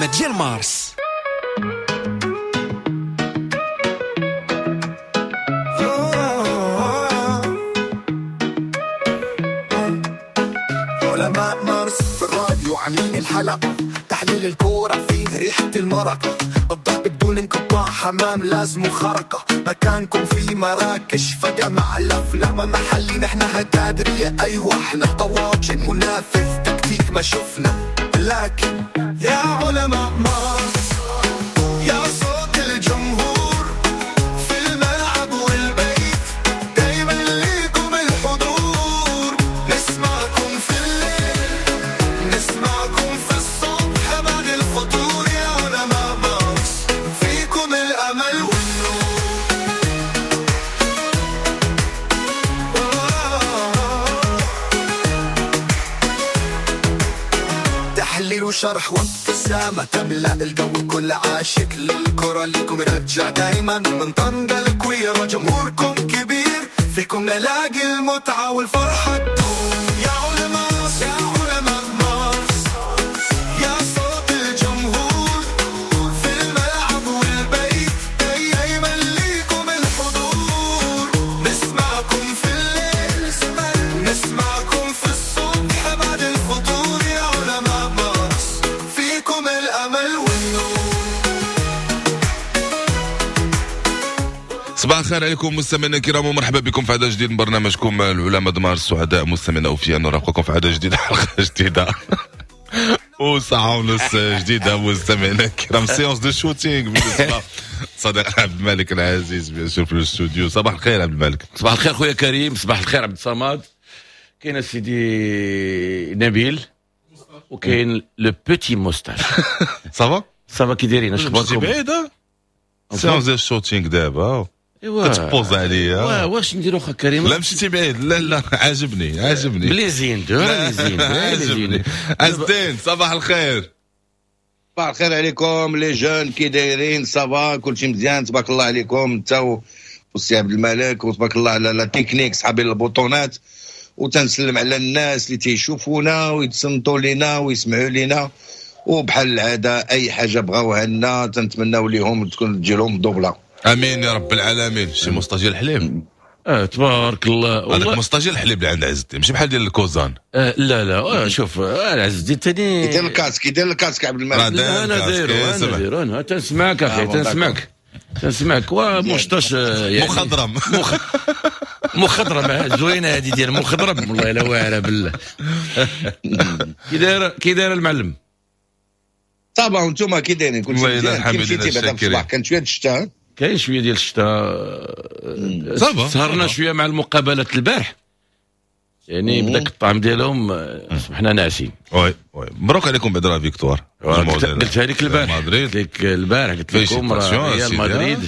العلماء ديال مارس. علماء مارس في الراديو عاملين الحلقة، تحليل الكورة فيه ريحة المرقة، الضرب بدون انقطاع، حمام لازم خرقة، مكانكم في مراكش فجأة مع الأفلام محلي، نحن هتادرية، أيوة احنا طواجن منافس تكتيك ما شفنا، لكن يا علماء مارس يا صوت الجمهور في الملعب والبيت، دايما ليكم الحضور، نسمعكم في الليل نسمعكم في الصبح بعد الفطور، يا علماء مارس فيكم الأمل والنور. تحليل وشرح وابتسامة تملأ الجو، كل عاشق للكرة ليكم رجع دايما من طنجة الكويرة، جمهوركم كبير فيكم نلاقي المتعة والفرحة تدوم. يا علماء يا علماء مارس يا صوت الجمهور في الملعب والبيت، دايما ليكم الحضور، نسمعكم في الليل نسمعكم في الصبح بعد الفطور، يا علماء مارس فيكم الأمل والنور. صباح الخير عليكم مستمعينا الكرام، ومرحبا بكم في عدد جديد من برنامجكم العلماء د مارس. سعداء مستمعينا اوفياء نرافقكم في عدد جديد، حلقة جديدة وساعة ونص جديدة مستمعينا الكرام، séance de shooting بالنسبة صديق عبد الملك العزيز bien sûr في الاستوديو. صباح الخير عبد الملك. صباح الخير خويا كريم، صباح الخير عبد الصمد. كاين سيدي نبيل وكاين le petit moustache. ça va ça va كي دايرين؟ اش مشيتي اخباركم؟ بعيد séance ديال ال shooting دابا ايوا كتبوز عليا. واش نديرو خا كريم؟ لا مشيتي بعيد، لا لا عاجبني عاجبني بلي زين دو لي زين لي عاجبني. زين. عز الدين صباح الخير. صباح الخير عليكم les jeunes، كي دايرين؟ ça va كلشي مزيان تبارك الله عليكم انت والسي عبد الملك، وتبارك الله على la technique صحابي البوطونات، وتنسلم على الناس اللي تيشوفونا ويتصنتوا لينا ويسمعوا لينا، وبحال العادة اي حاجة بغاوها لنا تنتمناو ليهم تكون تجي لهم دوبله. امين يا رب العالمين. شي moustache ديال الحليب؟ تبارك الله. هذاك والله moustache ديال الحليب اللي عند عز الدين ماشي بحال ديال الكوزان. لا لا شوف عز الدين ثاني يدير ال casque، يدير ال casque عبد الملك. لا، انا دايرو انا دايرو، انا تنسمعك اخي، تنسمعك تنسمعك. و moustache يعني مخضرم. مخضرم زوينة هذه ديال مخضرم، والله الا واعرة بالله. كي داير كي داير المعلم؟ ça va وانتم كي دايرين؟ كلشي والله مزيان؟ الحمد كي لله مشيتي بعدا في الشاكرين. الصباح كانت شوية الشتاء؟ كاين شوية ديال الشتاء، ça va. سهرنا شوية مع المقابلات البارح، يعني بداك الطعم ديالهم صبحنا ناعسين. oui oui، مبروك عليكم بعدا la victoire. قلتها لك البارح، مدريد. قلت لك البارح، قلت لكم راه ريال سيدي. مدريد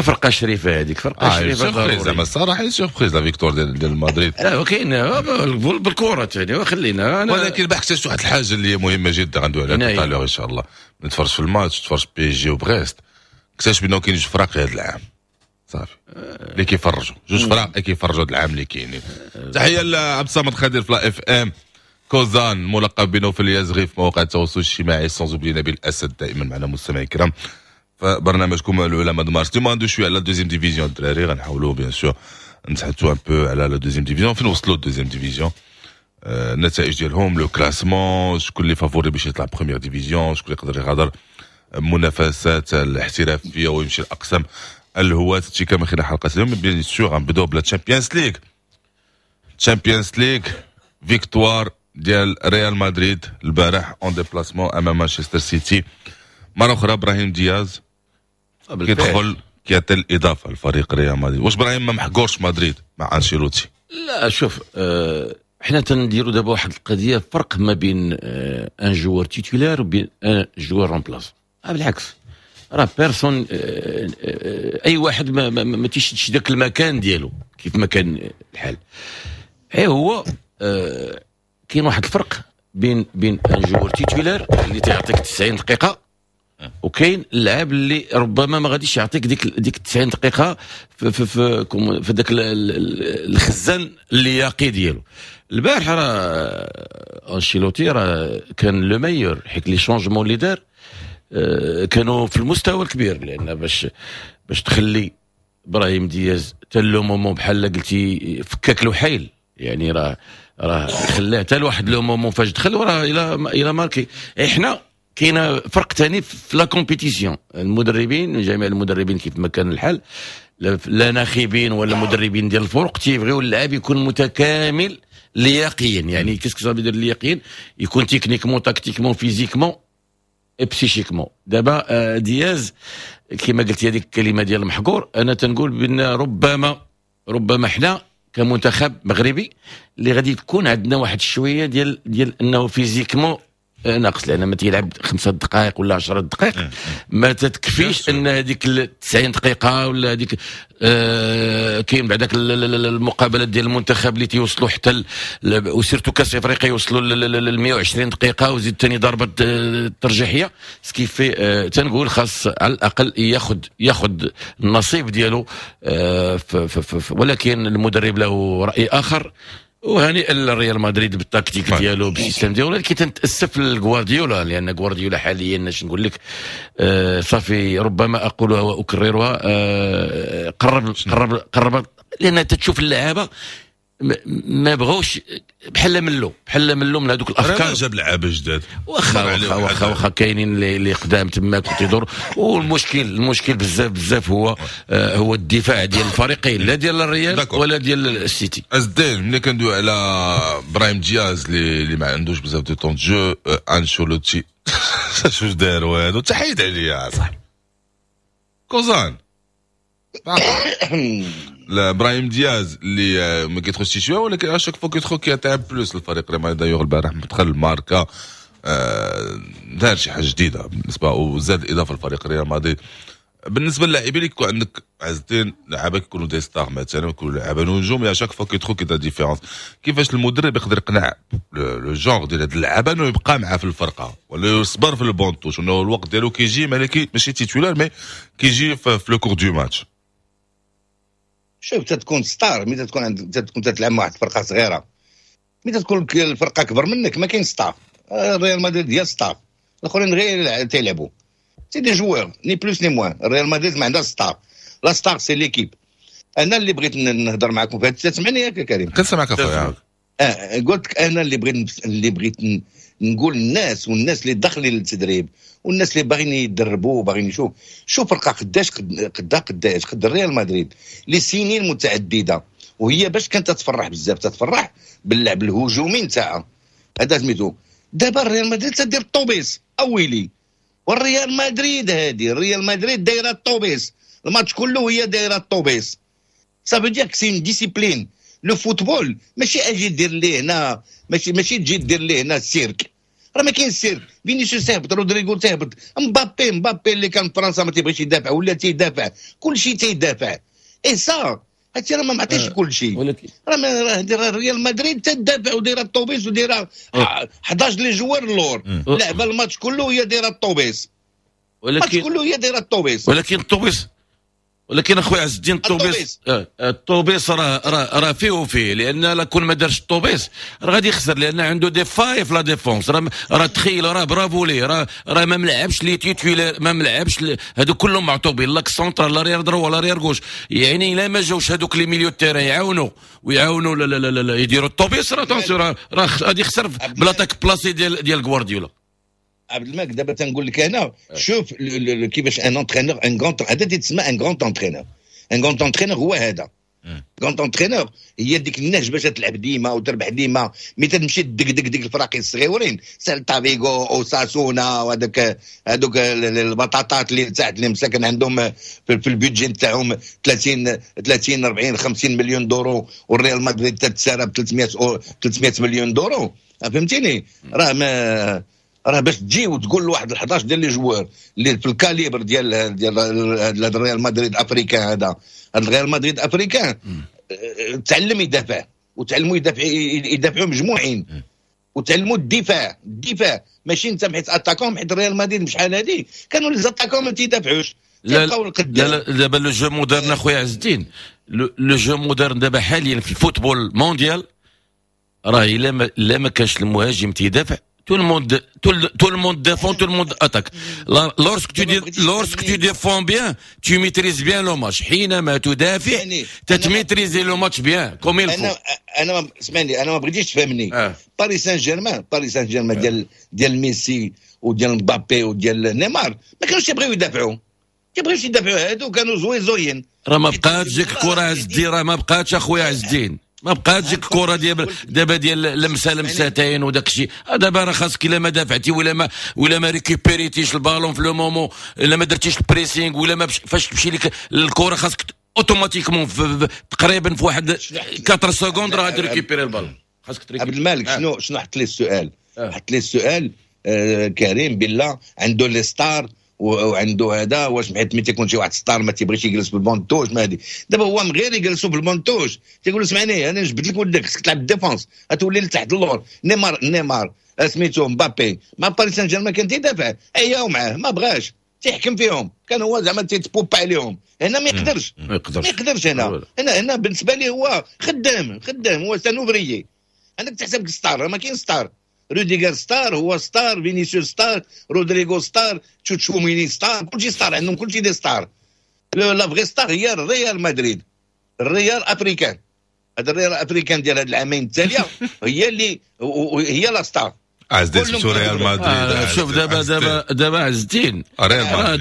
فرقه شريفه، هذيك فرقه شريفه surprise ضروري. زعما الصراحة surprise la victoire ديال مدريد. لا وكاين بالكرة ثاني وخلينا انا. ولكن البارح اكتشفت واحد الحاجة اللي هي مهمة جدا غندوي عليها نعم. tout à l'heure ان شاء الله. نتفرج في الماتش، تفرج PSG وبريست، اكتشفت بانه كاين جوج فراق هذا العام صافي اللي كيفرجوا، جوج فراق اللي كيفرجوا هذا العام اللي كاينين. تحية لعبد الصمد خدير في la FM كوزان ملقب بنوفل اليزغي في مواقع التواصل الاجتماعي، sans oublier نبيل الاسد دائما معنا مستمعي الكرام فبرنامجكم العلماء د مارس. اليوم غندوي شوية على deuxième division الدراري، غنحاولوا bien sûr نتحدثوا un peu على la deuxième division، فين وصلوا deuxième division، النتائج ديالهم، le classement، شكون اللي favori باش يطلع première division، شكون اللي يقدر يغادر منافسات الاحترافية ويمشي لاقسام الهواة. هادشي كامل خلال حلقة اليوم. bien sûr غنبداو ب la Champions League. Champions League، victoire ديال ريال مدريد البارح en déplacement امام مانشستر سيتي. مرة اخرى ابراهيم دياز كيدخل كيعطي الاضافة لفريق ريال مدريد. واش ابراهيم ما محقورش مدريد مع انشيلوتي؟ لا شوف، حنا تنديروا دابا واحد القضية، فرق ما بين un joueur titulaire وبين un joueur remplaçant. بالعكس راه personne، اي واحد ما تيشدش ذاك المكان ديالو كيف ما كان الحال. اي هو كاين واحد الفرق بين un joueur titulaire اللي تيعطيك 90 دقيقة وكاين اللاعب اللي ربما ما غاديش يعطيك ديك 90 دقيقة في ذاك الخزان اللياقي ديالو. البارح راه انشيلوتي راه كان le meilleur، حيت les changements اللي دار. كانوا في المستوى الكبير، لان باش تخلي ابراهيم دياز حتى le moment بحال قلتي فكاك الوحيل، يعني راه خلاه حتى لواحد le moment فاش دخل وراه il a marqué. احنا كاين فرق ثاني في la compétition، المدربين، جميع المدربين كيف ما كان الحال، لا ناخبين ولا مدربين ديال الفرق، تيبغيو اللاعب يكون متكامل لياقيا. يعني qu'est-ce que ça veut dire لياقيا؟ يكون techniquement، tactiquement، physiquement et psychiquement. دابا دياز كما قلت هذيك الكلمة ديال المحقور، انا تنقول بان ربما حنا كمنتخب مغربي اللي غادي تكون عندنا واحد شوية ديال انه physiquement ناقص، لان ما تيلعب 5 دقائق ولا 10 دقائق ما تتكفيش ان هذيك 90 دقيقة ولا هذيك. كاين بعداك المقابلات ديال المنتخب اللي تيوصلوا حتى و surtout كاس افريقيا يوصلوا ل 120 دقيقة وزيد ثاني ضربه ترجيحيه، ce qui fait تنقول خاص على الاقل ياخذ النصيب ديالو، ولكن المدرب له راي اخر. وهنيئا للريال مدريد بالتكتيك ديالو، بال système ديالو، ولكن تنتاسف لغوارديولا، لان غوارديولا حاليا اش نقول لك، صافي، ربما اقولها واكررها، قرب قرب قرب، لان تتشوف اللعابه ما بغاوش، بحال ملو من هذوك الافكار. جاب لعابه جداد. واخا واخا واخا واخا، كاينين اللي قدام تماك وتيدور. والمشكل المشكل بزاف بزاف هو الدفاع ديال الفريقين، لا ديال الريال ولا ديال السيتي. ازدين، ملي كندوي على ابراهيم دياز اللي ما عندوش بزاف de temps de jeu، انشيلوتي شوف دار والو، تحيد عليا صاحبي كوزان. لا، ابراهيم دياز اللي ما كيدخلش شويه، ولكن à chaque fois كيدخل كيعطي plus الفريق ريال مدريد. d'ailleurs البارح دخل ماركا، دار شي حاجة جديدة بالنسبة وزاد الاضافة للفريق ريال مدريد. بالنسبة للاعبين اللي يكون عندك عز الدين، لعابه كيكونوا des stars مثلا، يكونوا لعابه نجوم، à chaque fois كيدخل كيدير différence، كيفاش المدرب يقدر يقنع le genre ديال هاد اللعابه انه يبقى معاه في الفرقة ولا يصبر في ال banc de touche، انه الوقت ديالو كيجي ماشي titulaire mais كيجي في le cours du match؟ شوف، تتكون star ملي تكون عند تكون تلعب مع واحد الفرقة صغيره. ملي تكون الفرقة كبر منك ما كاين staff. ريال مدريد هي staff، الاخرين غير تيلعبوا، c'est des joueurs، ni plus ni moins. ريال مدريد ما عندها staff، la star c'est l'équipe. انا اللي بغيت نهضر معكم في هذا، تسمعني ياك كريم؟ كنسمعك اخويا. قلت لك انا اللي بغيت نقول الناس والناس اللي داخلين للتدريب والناس اللي باغيين يدربوا وباغيين يشوف، شوف فرقه قداش قدا قداش قد الريال مدريد لسنين متعدده، وهي باش كانت تتفرح بزاف، تتفرح باللعب الهجومي نتاعها هذا سميتو. دابا الريال مدريد تدير الطوبيس، اويلي، والريال مدريد هذه، الريال مدريد دايرة الطوبيس، الماتش كله هي دايرة الطوبيس. ça veut dire c'est une discipline، le football ماشي اجي دير ليه هنا، ماشي تجي دير ليه هنا السيرك. راه ما كاين سيرك. فينيسيوس تهبط، رودريغو تهبط، مبابي، مبابي اللي كان في فرنسا ما تيبغيش يدافع ولا تيدافع، كل شيء تيدافع. et ça هادشي راه ما معطيش كل شيء. ولكن راه ريال مدريد تدافع ودايره الطوبيس ودايره 11 les joueurs اللور، لعبه الماتش كله هي دايرة الطوبيس، الماتش كله هي دايرة الطوبيس. ولكن الطوبيس، ولكن اخويا عز الدين، الطوبيس الطوبيس راه فيه وفيه، لان لا كون ما دارش الطوبيس راه غادي يخسر، لان عنده des failles في la défense. راه تخيل، راه برافو ليه، راه ما ملعبش les titulaires، ما ملعبش هادو كلهم معطوبين، l'axe central، l'arrière droit، l'arrière gauche. يعني الا ما جاوش هادوك les milieux terrain يعاونوا ويعاونوا لا لا لا، لا يديروا الطوبيس، راه attention، راه غادي يخسر ب l'attaque placée ديال غوارديولا. عبد الملك، دابا تنقول لك انا، شوف كيفاش un entraîneur، un grand، هذا تيتسمى un grand entraîneur. un grand entraîneur هو هذا. grand entraîneur هي ديك النهج باش تلعب ديما وتربح ديما. mais تمشي تدق دق ديك الفراقي الصغيورين، سيلتا فيغو اوساسونا وهذاك هذوك البطاطات اللي تحت، اللي مساكن عندهم في ال budget نتاعهم 30 30 40 50 مليون d'euros، والريال مدريد تتسارى ب 300 مليون d'euros، فهمتيني؟ راه ما راه باش تجي وتقول لواحد ال 11 ديال les joueurs اللي في ال calibre ديال الريال مدريد africain، هذا الريال مدريد africain، تعلم يدافع وتعلموا يدافع، يدافعوا مجموعين وتعلموا الدفاع. الدفاع ماشي انت حيت attaquant، حيت ريال مدريد شحال هذه كانوا les attaquants ما تيدافعوش. لا لا لا، دابا le jeu moderne اخويا عز الدين، le jeu moderne دابا حاليا في ال football mondial راه الا ما كانش المهاجم تيدافع tout le monde tout le monde défend، tout le monde attaque. lorsque tu défends bien، tu maîtrises bien le match. حينما تدافع تت maîtriser le match bien comme il faut. انا اسمعني، انا ما بغيتيش تفهمني. باريس سان جيرمان، باريس سان جيرمان ديال ميسي وديال مبابي وديال نيمار ما كانوش يبغيو يدافعوا، كيبغيوش يدافعوا، هادو كانوا زوين زوين. راه ما بقاتش ديك الكره عز الدين، راه ما بقاتش اخويا عز الدين، ما بقاتش ديك الكره ديال دابا ديال لمسه لمستين وداك الشيء. دابا راه خاصك الا ما دافعتي ولا ما récupér يتيش البالون في le moment، الا ما درتيش ال pressing ولا ما فاش تمشي لك الكره خاصك automatiquement تقريبا في واحد 4 secondes راه ت récupérer ال ballon، خاصك ت récupérer. عبد الملك، شنو حط لي السؤال؟ حط لي السؤال كريم بالله عنده les stars وعنده هذا، واش حيت ملي تيكون شي واحد star ما تيبغيش يجلس في ال banc de touche؟ ما هادي دابا هو من غير يجلسوا في ال banc de touche، تيقول اسمعني انا جبت لك ولدك، خصك تلعب défense، غتولي لتحت اللور. نيمار سميتو مبابي مع باريس سان جيرمان كان تيدافع، عياو معاه ما بغاش، تيحكم فيهم، كان هو زعما تيتبوب عليهم. هنا ما يقدرش. ما يقدرش. ما يقدرش. هنا بالنسبة لي هو خدام خدام، هو c'est un ouvrier. عندك تحسب star، ما كاين star. روديغر star، هو star، فينيسيوس star، رودريغو star، تشواميني star، كلشي star عندهم، كلشي des stars. la vraie star هي الريال مدريد، الريال africain. هذا الريال africain ديال هاد العامين التالية هي اللي هي la star. عز الدين، ريال مدريد. شوف دابا دابا عز الدين،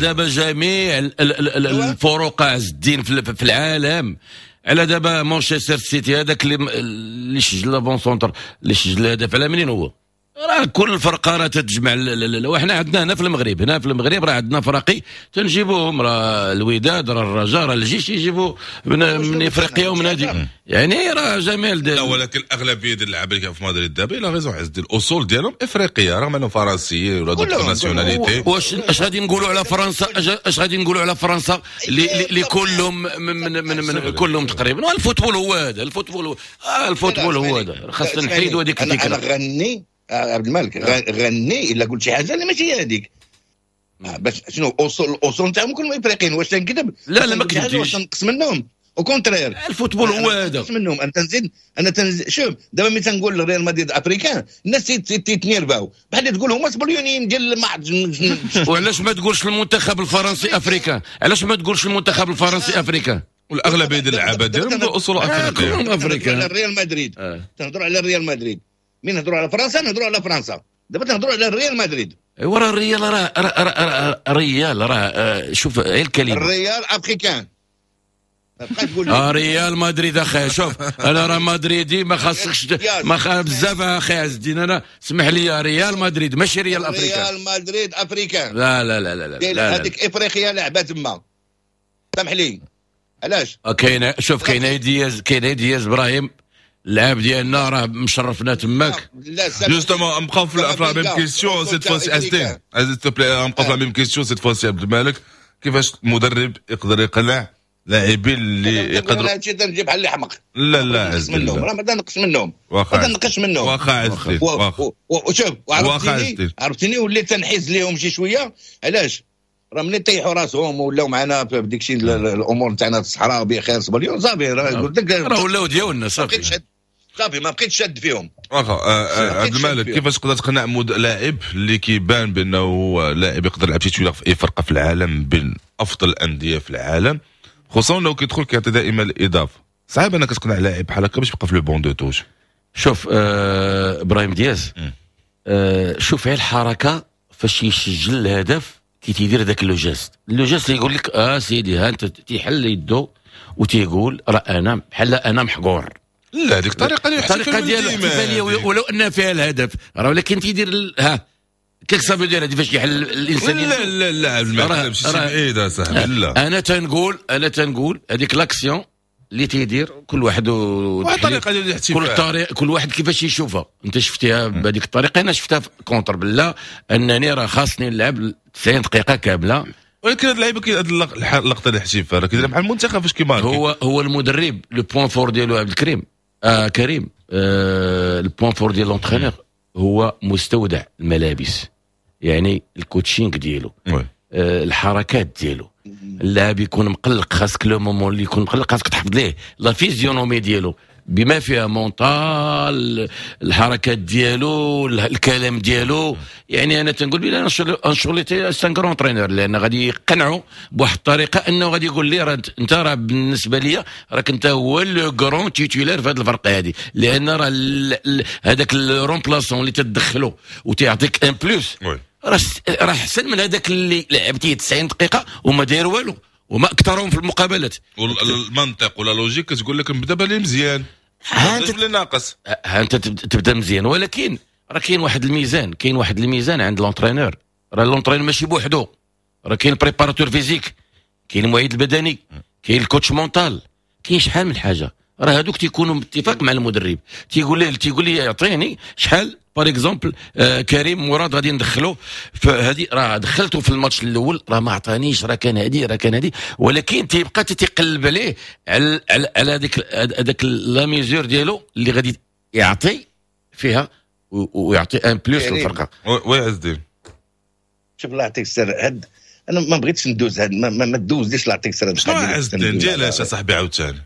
دابا جميع الفروق عز الدين في العالم، على دابا مانشستر سيتي هذاك اللي سجل l'avant-centre اللي سجل الهدف، على منين هو؟ راه كل الفرقة راه تتجمع. وحنا عندنا هنا في المغرب، هنا في المغرب راه عندنا فراقي تنجيبوهم، راه الوداد، راه الرجاء، راه الجيش، يجيبوا من افريقيا ومن هذه، يعني راه جميع. لا، ولكن الاغلبية ديال اللعابه اللي في مدريد دابا la raison عز الاصول ديالهم افريقيه، رغم انهم فرنسيين ولا d'autres nationalités. واش اش غادي نقولوا على فرنسا؟ اش غادي نقولوا على فرنسا اللي كلهم من كلهم تقريبا؟ ال football هو هذا، ال football هو ال football هو هذا، خاصنا نحيدوا هذيك الفكره. انا غني عبد الملك، غني الا قلت شي حاجة اللي ماشي هذيك. باش شنو اصول الاصول نتاعهم كلهم افريقيين، واش تنكذب؟ لا لا، ما كذبتيش. نقص منهم؟ au contraire. ال football هو هذا. منهم انا تنزيد، انا تنزيد. شوف دابا ملي تنقول ريال مدريد africain الناس تيتنيرفاو، بحال تقول هما سبليونيين ديال ما وعلاش ما تقولش المنتخب الفرنسي africain؟ علاش ما تقولش المنتخب الفرنسي africain؟ والاغلبيه ديال اللعابه ديالهم اصول افريقيه. كلهم africains. على الريال مدريد تنهضروا على الريال مدريد، من نهضروا على فرنسا نهضروا على فرنسا، دابا تنهضروا على الريال مدريد. ايوا راه الريال راه ريال راه شوف غير الكلمه. الريال africain. تقول ريال مدريد اخي، شوف انا راه مدريدي، ما خاصكش ما خ... بزاف اخي عز الدين. انا اسمح لي، ريال مدريد ماشي ريال africain. ريال مدريد africain. لا لا لا لا لا، لا. هذيك افريقيا لعبه تما، سامح لي، علاش؟ كاين، شوف كاين دياز، كاين دياز ابراهيم، اللاعب ديالنا راه مشرفنا تماك. justement نبقاو في la même question cette fois-ci، عز الدين، s'il te plaît، نبقاو في la même question cette fois-ci. عبد الملك، كيفاش المدرب يقدر يقنع لاعبين اللي يقدروا؟ هادشي تنجيب بحال اللي حمق. لا لا عز منهم، راه ما نقص منهم، ما نقص منهم. واخا عز الدين. وشوف عرفتيني عرفتيني وليت تنحيز ليهم شي شويه. علاش؟ راه ملي طيحوا راسهم ولاو معنا في ديك الشيء الامور تاعنا في الصحراء بخير سبليون، صافي راه قلت لك. راه ولاو ديالنا صافي. صافي ما بقيتش شاد فيهم. واخا عبد الملك، كيفاش تقدر تقنع لاعب اللي كيبان بانه لاعب يقدر يلعب titulaire في اي فرقه في العالم، بين افضل الاندية في العالم، خصوصا لو كيدخل كيعطي دائما الاضافه؟ صعيب انك تقنع لاعب بحال هكا باش يبقى في le banc de touche. شوف ابراهيم دياز، شوف غير الحركة فاش يسجل الهدف، كي تيدير ذاك le geste، le geste يقول لك اه سيدي ها انت، تيحل يدو وتيقول راه انا بحال انا محقور. لا، هذيك الطريقة اللي الطريقة ديالو الاحتفاليه، ولو ان فيها الهدف راه، ولكن تيدير ها كيك صافي ديال هذه فاش يحل الانسان. لا لا لا، الملعب ماشي بعيد اصاحبي، لا. انا تنقول هذيك l'action اللي تيدير كل واحد الطريقة ديال الاحتفال. كل طريق، كل واحد كيفاش يشوفها. انت شفتيها بهذيك الطريقه، انا شفتها contre بلا انني راه خاصني نلعب 90 دقيقة كامله. ولكن هاد اللعيبة هاد اللقطة الاحتفال راه كيديرها مع المنتخب فاش كيماركي. هو المدرب le point fort ديالو عبد الكريم كريم ال point fort ديال l'entraîneur هو مستودع الملابس، يعني ال coaching ديالو، الحركات ديالو. اللاعب يكون مقلق، خاصك le moment اللي يكون مقلق خاصك تحفظ ليه la physionomie ديالو. بما فيها mental، الحركات ديالو، الكلام ديالو. يعني انا تنقول بلي انشيلوتي c'est un grand entraîneur، لان غادي يقنعوا بواحد الطريقة انه غادي يقول لي راه انت راه بالنسبة لي راك انت هو le grand titulaire في هذه الفرقة هذه، لان راه هذاك ال remplaçant اللي تدخلو وتيعطيك un plus راه احسن من هذاك اللي لعبتيه 90 دقيقة وما داير والو، وما اكثرهم في المقابلات. والمنطق ولا logique كتقول لك نبدا بالي مزيان، ها انت اللي ناقص. ها انت تبدا مزيان، ولكن راه كاين واحد الميزان، كاين واحد الميزان عند l'entraîneur. راه l'entraîneur ماشي بوحدو، راه كاين préparateur physique، كاين المعيد البدني، كاين ال coach mental، كاين شحال من حاجه. راه هذوك تيكونوا باتفاق مع المدرب، تيقول له، تيقول لي يعطيني شحال، par exemple كريم مراد غادي ندخلو في هذه، راه دخلته في الماتش الاول راه ما عطانيش، راه كان هادي، راه كان هادي، ولكن تيبقى تيقلب عليه على هذاك la mesure ديالو اللي غادي يعطي فيها ويعطي un plus للفرقه. oui عز الدين. شوف، الله يعطيك السر، هاد انا ما بغيتش ندوز هاد ما تدوزليش، الله يعطيك السر. شنو عز الدين؟ ديالاش اصاحبي عاوتاني؟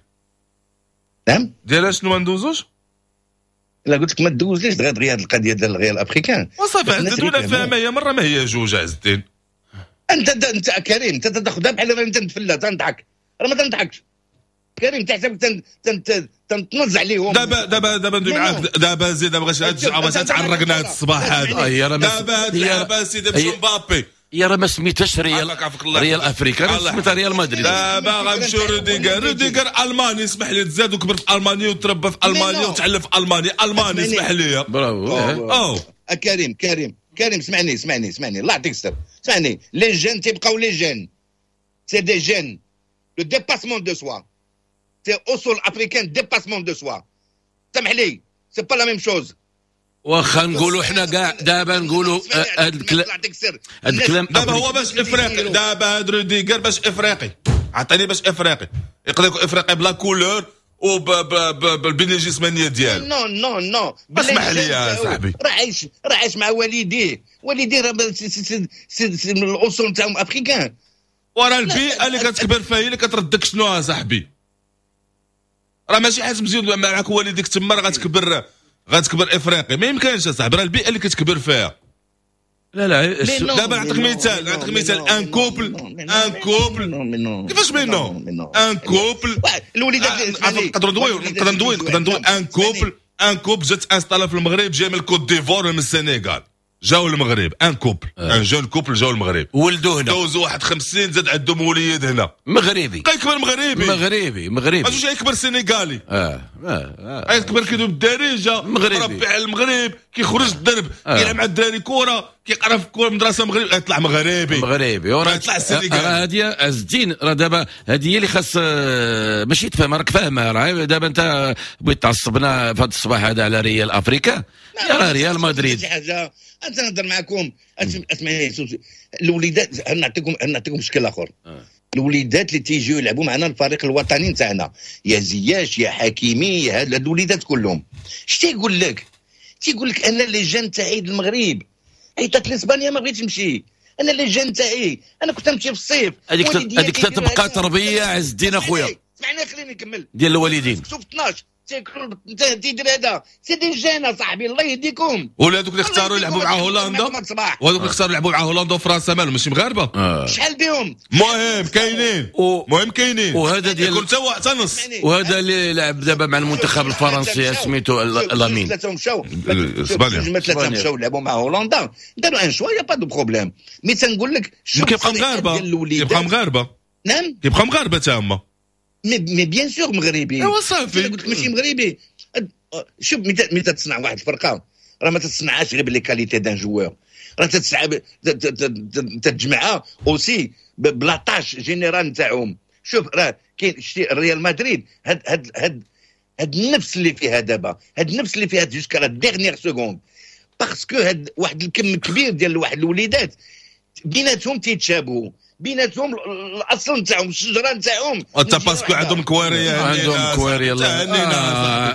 نعم. ديالاش؟ شنو ما ندوزوش؟ لا، قلت لك ما تدوزليش دغيا دغيا هذه القضية ديال الريال africain. وصافي عز الدين، ولا فاهمه هي مرة ما هي جوج عز الدين. انت كريم، انت تاخذها بحال انت نتفلى تنضحك، راه ما تنضحكش كريم، تحسب تنطنز عليهم. دابا ندوي معاك دابا، زيد دابا باش تعرقنا هذا الصباح هذا. دابا هاد اللعبة سيدي باش مبابي يا راه ما سميتهاش ريال ريال افريكا، سميتها ريال مدريد. دابا غنمشيو روديغر، روديغر الماني، اسمح لي، تزاد وكبر في المانيا وتربى في المانيا وتعلم في المانيا، الماني، اسمح لي. برافو. او كريم كريم كريم، اسمعني اسمعني اسمعني، الله يعطيك الستر، اسمعني. les jeunes تيبقاو les jeunes، c'est des jeunes، le dépassement de soi، c'est اصول africain، dépassement de soi، سمح لي، c'est pas la même chose. واخا نقولوا حنا كاع دابا نقولوا هذا الكلام هذا الكلام. دابا هو باش افريقي؟ دابا هاد روديغر باش افريقي؟ عطيني باش افريقي. يقدر يكون افريقي ب la couleur وبالبنيه الجسمانية ديالو. non non non. اسمح لي يا صاحبي. راه عايش مع والديه، والديه راه من الاصول نتاعهم africains. ورا البيئة اللي كتكبر فيها هي اللي كتردك شنو صاحبي. راه ماشي حاجة مزيان معاك والديك تما راه غتكبر افريقي، ما يمكنش اصاحبي، راه البيئة اللي كتكبر فيها. لا لا. دابا نعطيك مثال، نعطيك مثال، un couple، un couple، كيفاش mais non؟ un couple الوليدات. نقدر ندوي، نقدر ندوي، نقدر ندوي. un couple، un couple جات installa في المغرب، جاي من الكوت ديفوار ولا من السنغال، جاو المغرب، un couple، un jeune couple جاو المغرب. ولدوا هنا. دوزوا واحد 50، زاد عندهم وليد هنا. مغربي. بقى يكبر مغربي. مغربي مغربي. ما يكبر سنغالي. اه. يكبر كيدوي بالدارجه. مغربي. مربي على المغرب، كيخرج الدرب، كيلعب مع الدراري كره، كيقرا في كره مدرسه مغربي، يطلع مغربي. مغربي. يطلع سنغالي. راه هذه عز الدين، راه دابا هذه هي اللي خاص ماشي تفهم، راك فاهمها. راه دابا انت بغيت تعصبنا في هذا الصباح هذا على ريال افريكا، يا راه ريال مدريد. شي حاجه، انت نهضر معكم، اسمعني، الوليدات، نعطيكم مشكل اخر. الوليدات اللي تيجيو يلعبوا معنا الفريق الوطني نتاعنا، يا زياش يا حكيمي، يا هاد الوليدات كلهم، اش تيقول لك؟ تيقول لك انا les jeunes تاعي المغرب عيطت لاسبانيا ما بغيتش نمشي، انا les jeunes تاعي، انا كنت نمشي في الصيف. هذيك تبقى تربيه عز الدين اخويا. اسمعني، خليني نكمل. ديال الوالدين. شوف 12 تيدير هذا، c'est des jeunes صاحبي، الله يهديكم. ولا هذوك اللي اختاروا يلعبوا مع هولندا، وهذوك اللي اختاروا يلعبوا مع هولندا وفرنسا، مالهم؟ ماشي مغاربه؟ شحال بهم؟ المهم كاينين، المهم كاينين. وهذا ديال يكون حتى نص. وهذا اللي لعب دابا مع المنتخب الفرنسي سميتو لامين. ثلاثة مشاو. اسبانيا. ثلاثة مشاو لعبوا مع هولندا، داروا un choix، y a pas de problème، mais تنقول لك كيبقى مغاربه، كيبقى مغاربه. نعم. كيبقى مغاربة تا هما. mais bien sûr مغربي. ايوا صافي. قلت لك ماشي مغربي. شوف، متى تصنع واحد الفرقة راه ما تصنعهاش غير ب les qualités d'un joueur، راه تتسعى تتجمعها aussi ب la tâche générale نتاعهم. شوف، راه كاين، شتي ريال مدريد، هاد النفس اللي فيها دابا، هاد النفس اللي فيها jusqu'à la dernière seconde، parce que هاد واحد الكم كبير ديال واحد الوليدات بيناتهم تيتشابهوا. بيناتهم الاصل نتاعهم الشجرة نتاعهم. انت parce que عندهم كواريه، عندهم كواريه. الله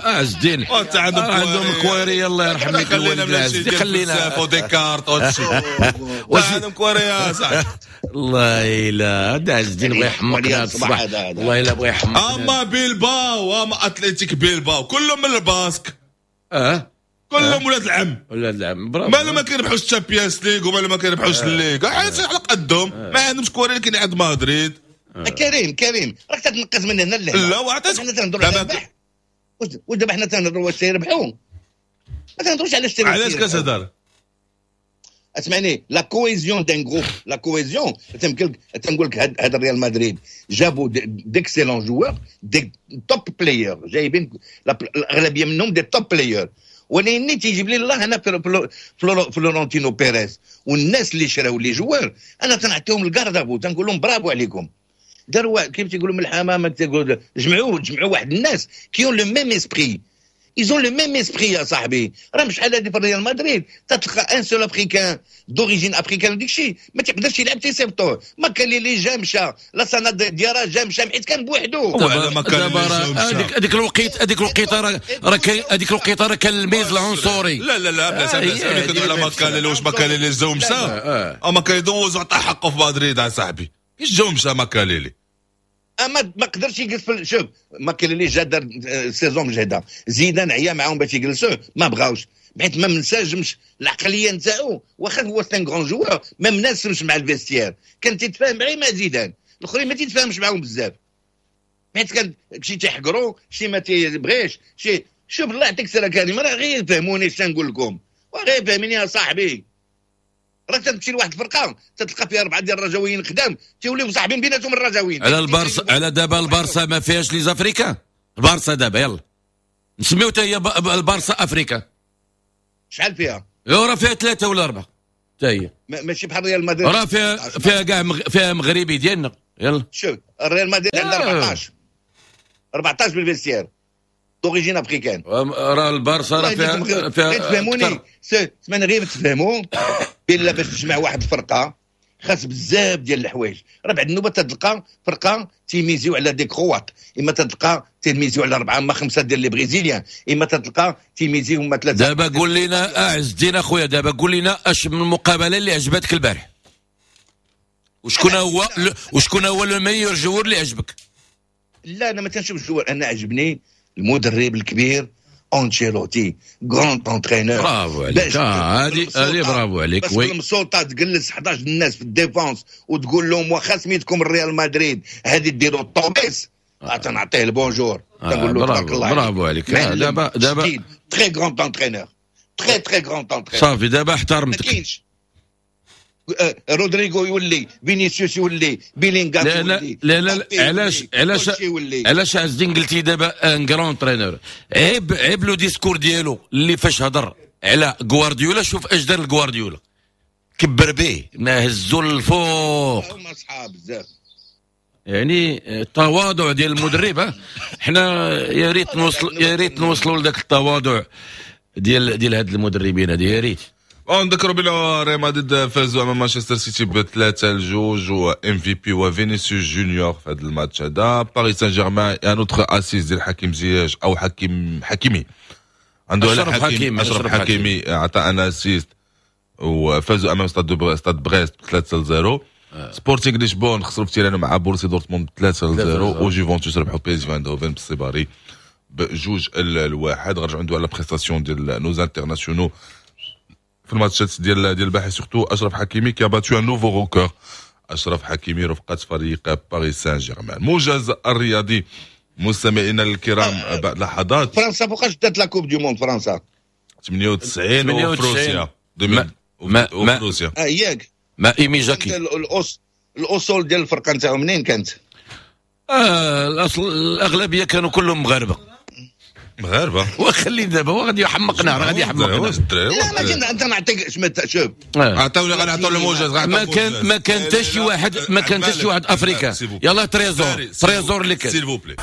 عز الدين، عندهم كواريه، الله يرحم لك الوالد العز، خلينا وديكارت وهادشي، عندهم كواريه صاحبي. الله الا هذا عز الدين بغى يحمقنا الصباح، والله الا بغى يحمقنا. اما بيلباو اما اتلتيك بيلباو كلهم من الباسك، كلهم ولاد العم، ولاد العم برافو. مالو ما كيربحوش ال Champions League ومالو ما كيربحوش ال Liga، حيت على قدهم ما عندهمش كواري اللي كاين عند مدريد. كريم كريم راك تتنقز من هنا لهنا. لا وعطيتك حنا تنهضروا على الربح، ودابا حنا تنهضروا واش تيربحوا، ما تنهضروش على اش. علاش كتهضر؟ اسمعني، la cohésion d'un groupe، la cohésion تنقول لك هذا الريال مدريد جابوا d'excellents joueurs، des top players، جايبين الاغلبية منهم des top players، ولكن تيجيب لي الله انا فلورنتينو بيريز والناس اللي شراو les joueurs انا تنعطيهم ال garde à vous، تنقول لهم برافو عليكم. داروا كيف تيقولوا من الحمامة، تيقولوا جمعوا واحد الناس qui ont le même esprit، ils ont le même esprit يا صاحبي. راه شحال هادي في ريال مدريد تتلقى un seul africain d'origine africaine وديك الشيء ما تيقدرش يلعب تيصيفطوه. ما كان لي جا مشى، لا ديارا جا مشى حيت كان بوحدو. هذيك الوقيت، هذيك الوقيته راه هذيك الوقيته راه كان الميز العنصري. لا لا لا بلا بلا كندوي على ماكاليلي، واش ماكاليلي جا ومشى؟ ماكاليلي دوز وعطى حقه في مدريد يا صاحبي، كيفاش جا ومشى ماكاليلي؟ اما ما قدرش يجلس. شوف ماكاليلي جا دار saison مجهده، زيدان عيا معاهم باش يجلسوه ما بغاوش، حيت ما منسجمش العقلية نتاعو، واخا هو c'est un grand joueur ما مناسبش مع ال vestiaire، كان تيتفاهم غير مع زيدان، الاخرين ما تيتفاهمش معاهم بزاف، حيت كان شي تيحقرو شي ما تيبغيش شي. شوف الله يعطيك السلامة كريم، راه غير فهموني اش نقول لكم، وغير فهميني يا صاحبي. راه تمشي لواحد الفرقة تتلقى فيها 4 ديال الرجاويين خدام تيوليو صاحبين بيناتهم الرجاويين. على البارسا، على دابا البارسا ما فيهاش les Africains، البارسا دابا يلا نسميو حتى هي البارسا افريكا. شحال فيها؟ راه فيها 3 ولا 4 حتى هي، ماشي بحال ريال مدريد، راه فيها كاع فيها مغربي ديالنا. يلا شوف الريال مدريد عندها 14 بال vestiaire d'origine africaine. راه البارسا راه فيها تفهموني، سمعني غير تفهموا بلا باش تجمع واحد الفرقة خاص بزاف ديال الحوايج. راه بعد النوبة تتلقى فرقه تيميزيو على des Croates، اما تتلقى تيميزيو على 4 اما 5 ديال les Brésiliens، اما تتلقى تيميزيو هما 3. دابا قول لنا اعز الدين اخويا، دابا قول لنا اش من المقابلة اللي عجبتك البارح، وشكون هو le meilleur joueur اللي عجبك؟ لا انا ما تنشوفش joueur، انا عجبني المدرب الكبير أنشيلوتي، grand entraîneur. برافو عليك، هذه برافو عليك. oui المسلطه تجلس 11 الناس في ال défense وتقول لهم واخا سميتكم الريال مدريد هذه ديروا الطوبيس، تنعطيه ال bonjour، تنقول له تبارك الله برافو عليك. دابا très grand entraîneur، très très grand entraîneur. صافي دابا احترمتك. ما كاينش رودريغو يولي، فينيسيوس يولي، بيلينغام يولي. لا لا علاش علاش علاش عز الدين قلتي دابا un grand entraîneur؟ عيب le discours ديالو اللي فاش هضر على غوارديولا، شوف اش دار لغوارديولا، كبر به ما هزو للفوق. هما صحاب بزاف يعني التواضع ديال المدرب. حنا يا ريت نوصل، يا ريت نوصلوا لذاك التواضع ديال هاد المدربين هادي، يا ريت. نذكروا بلا ريال مدريد فازوا امام مانشستر سيتي ب3-2 و MVP وفينيسيوس جونيور في هذا الماتش هذا. باريس سان جيرمان un autre assist ديال حكيم زياش او حكيمي عنده اشرف حكيمي عطى un assist وفازوا امام ستاد بريست 3-0. سبورتينغ لشبون خسروا في تيرانو مع بورسي دورتموند 3-0، وجوفنتوس ربحوا بي اس في اندهوفن بالسيباري ب2-1. غنرجعوا ندوي على prestation ديال nos internationaux في الماتشات ديال الباحث، surtout اشرف حكيمي qui a battu un nouveau record. اشرف حكيمي رفقه فريق باريس سان جيرمان. موجز الرياضي مستمعينا الكرام بعد لحظات. فرنسا فوقاش دات la Coupe du monde؟ فرنسا 98 وفروسيا وفروسيا ياك ما ايمي جاكي. الاصول ديال الفرقة نتاعهم منين كانت؟ الاصل الاغلبية كانوا كلهم مغاربة. مغاربة وخلي دابا هو غادي يحمقنا، راه غادي يحمقنا. لا ما انت نعطيك شوف، عطاوني غنعطوا الموجز. ما كان حتى شي واحد، ما كان حتى شي واحد africain. يلا تريزور اللي كان s'il vous plaît.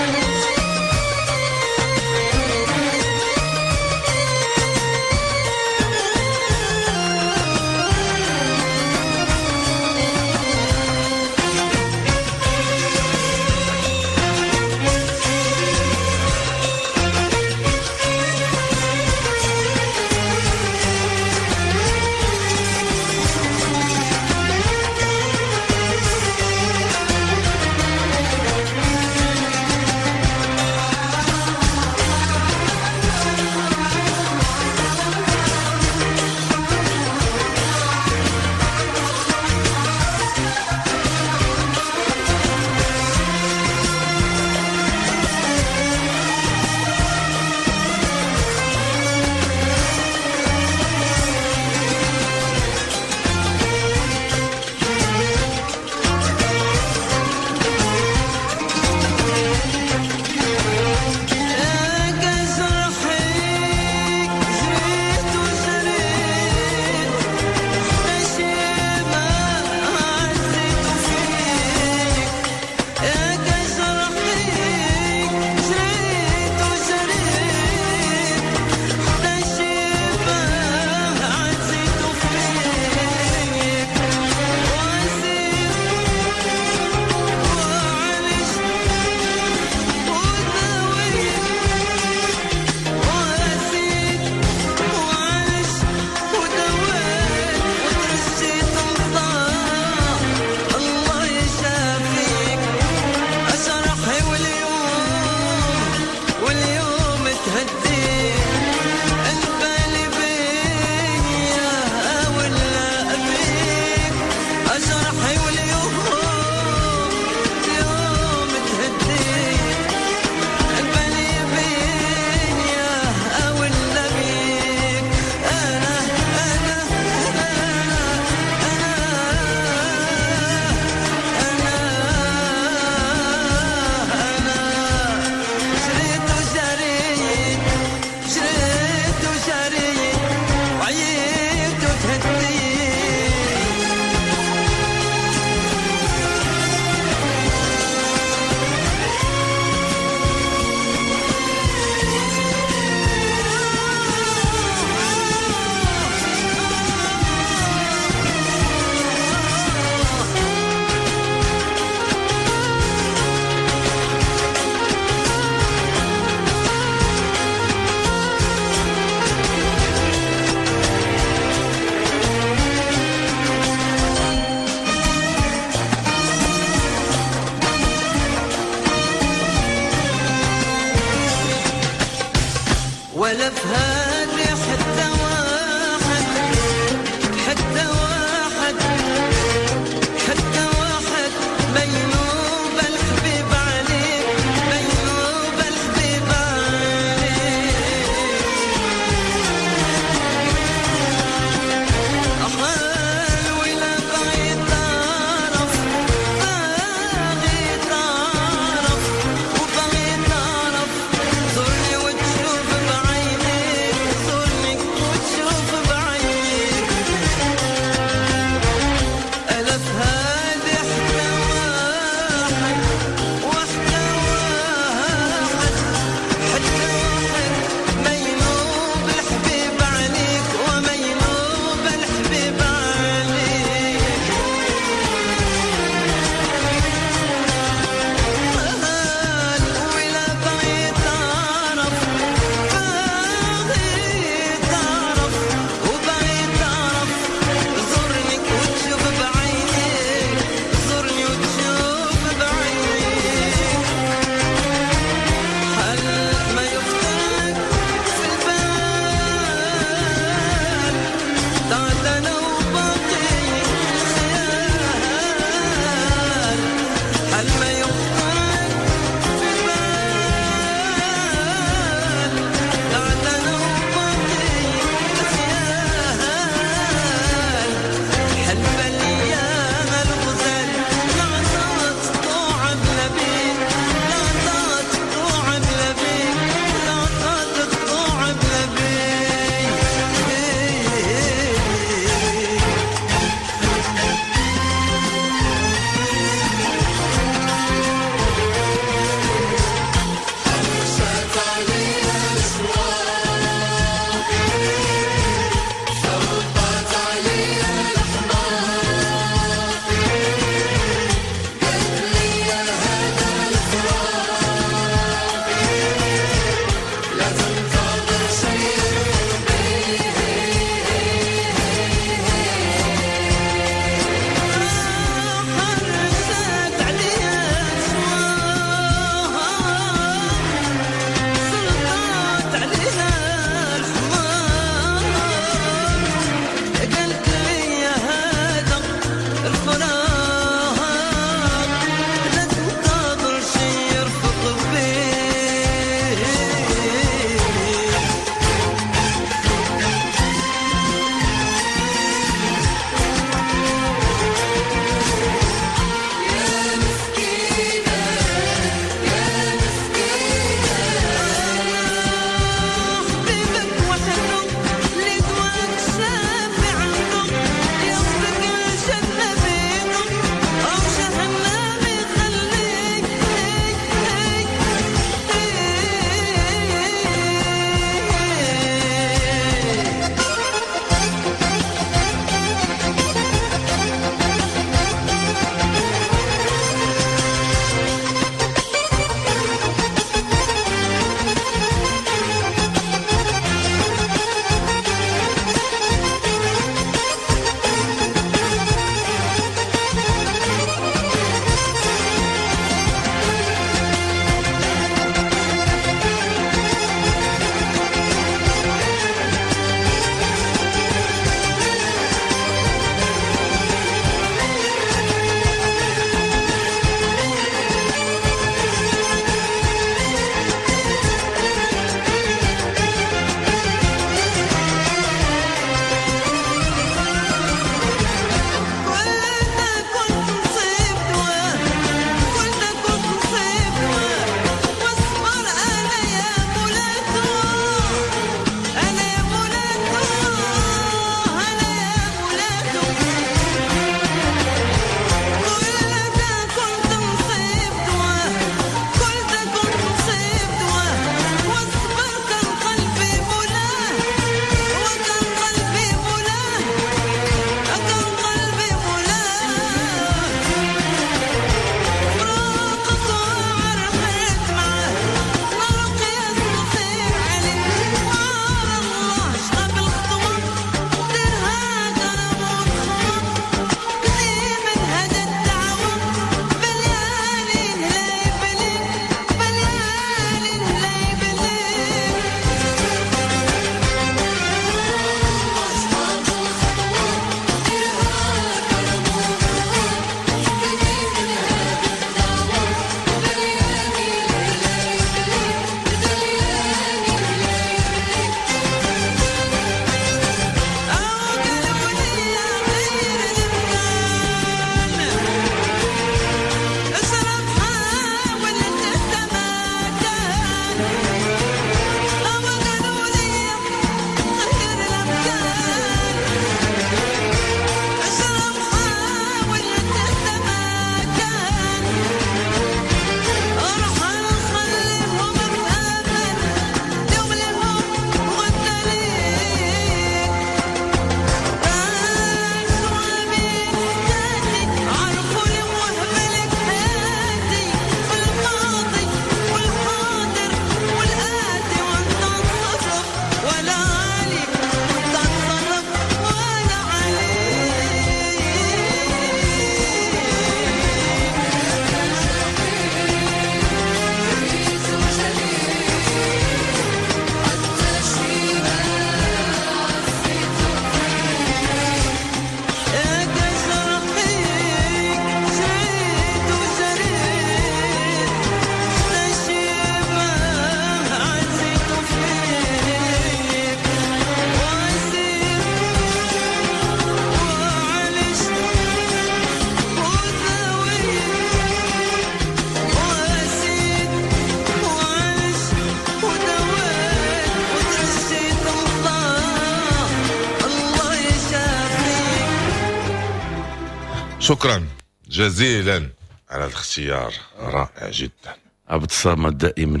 شكرا جزيلا على الاختيار، رائع جدا. عبد الصمد دائما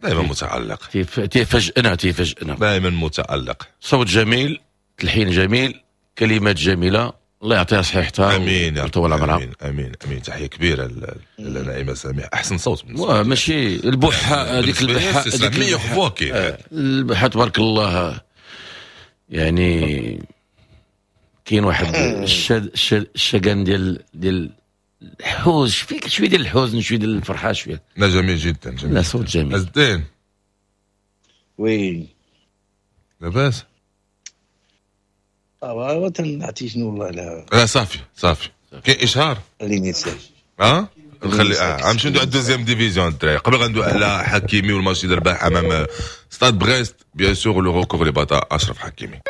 دائما متألق، تيفاجئنا تيفاجئنا، دائما متألق. صوت جميل، تلحين جميل، كلمات جميله، الله يعطيها صحيحتها. امين يا ويطول عمرها. امين امين امين. تحية كبيرة لنعيمه سميح، احسن صوت بالنسبة لي. ماشي البحه هذيك، البحه هذيك meilleure voix كاين. البحه تبارك الله، يعني كاين واحد الشجن ديال الحوز، فيك شوية ديال الحزن، شوية ديال الفرحه، شويه. لا، جميل جدا، جميل. لا، صوت جميل. عز الدين. oui. لاباس؟ اه، تنعطي شنو والله لا. لا، صافي صافي، كاين اشهار. خليني ساكت. اه نخلي غنمشيو ندوي على ال deuxième division الدراري. قبل غندوي على حكيمي والماتش اللي ربح امام ستاد بريست، bien sûr le record اللي باطا اشرف حكيمي.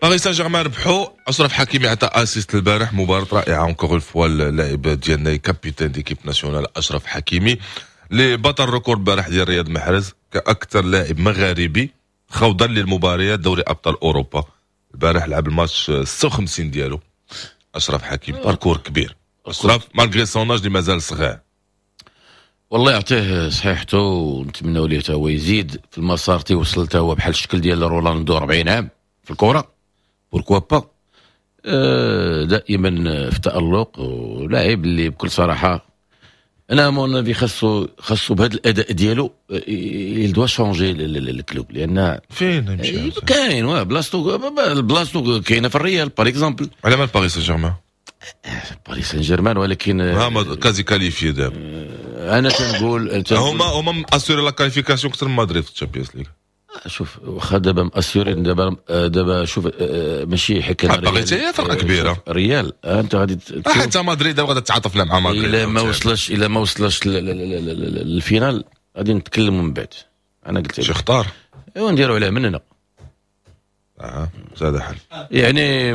باريس سان جيرمان ربحوا، اشرف حكيمي عطى assist البارح، مباراة رائعة encore une fois. اللاعب ديالنا، capitaine d'équipe nationale اشرف حكيمي، اللي بطل record البارح ديال رياض محرز كاكثر لاعب مغاربي خوضا للمباريات دوري ابطال اوروبا. البارح لعب الماتش 56 ديالو اشرف حكيمي، parcours كبير اشرف malgré son âge اللي مازال صغير. والله يعطيه صحيحته ونتمنوا ليه هو يزيد في المسار، تيوصل تا هو بحال الشكل ديال رونالدو، 40 عام في الكره، pourquoi pas. دائما في تألق، ولاعب اللي بكل صراحة انا mon avis خاصو بهذا الاداء ديالو il doit changer ال club لان فين يمشي؟ كاين بلاصتو كاينه في الريال par exemple. على مال باريس سان جيرمان؟ باريس سان جيرمان ولكن هما quasi qualifiés دابا. انا تنقول هما assurés la qualification اكثر من مدريد في الشامبيونز ليغ. شوف، واخا دابا مأسورين دابا شوف، ماشي حكاية باغي هي فرقه كبيره. ريال انت غادي حتى مدريد غادي تتعاطف مع مدريد. الا ما وصلش لل finale غادي نتكلموا من بعد. انا قلت شي خطار. ايوا، نديروا عليه من هنا. اه، هذا حل. يعني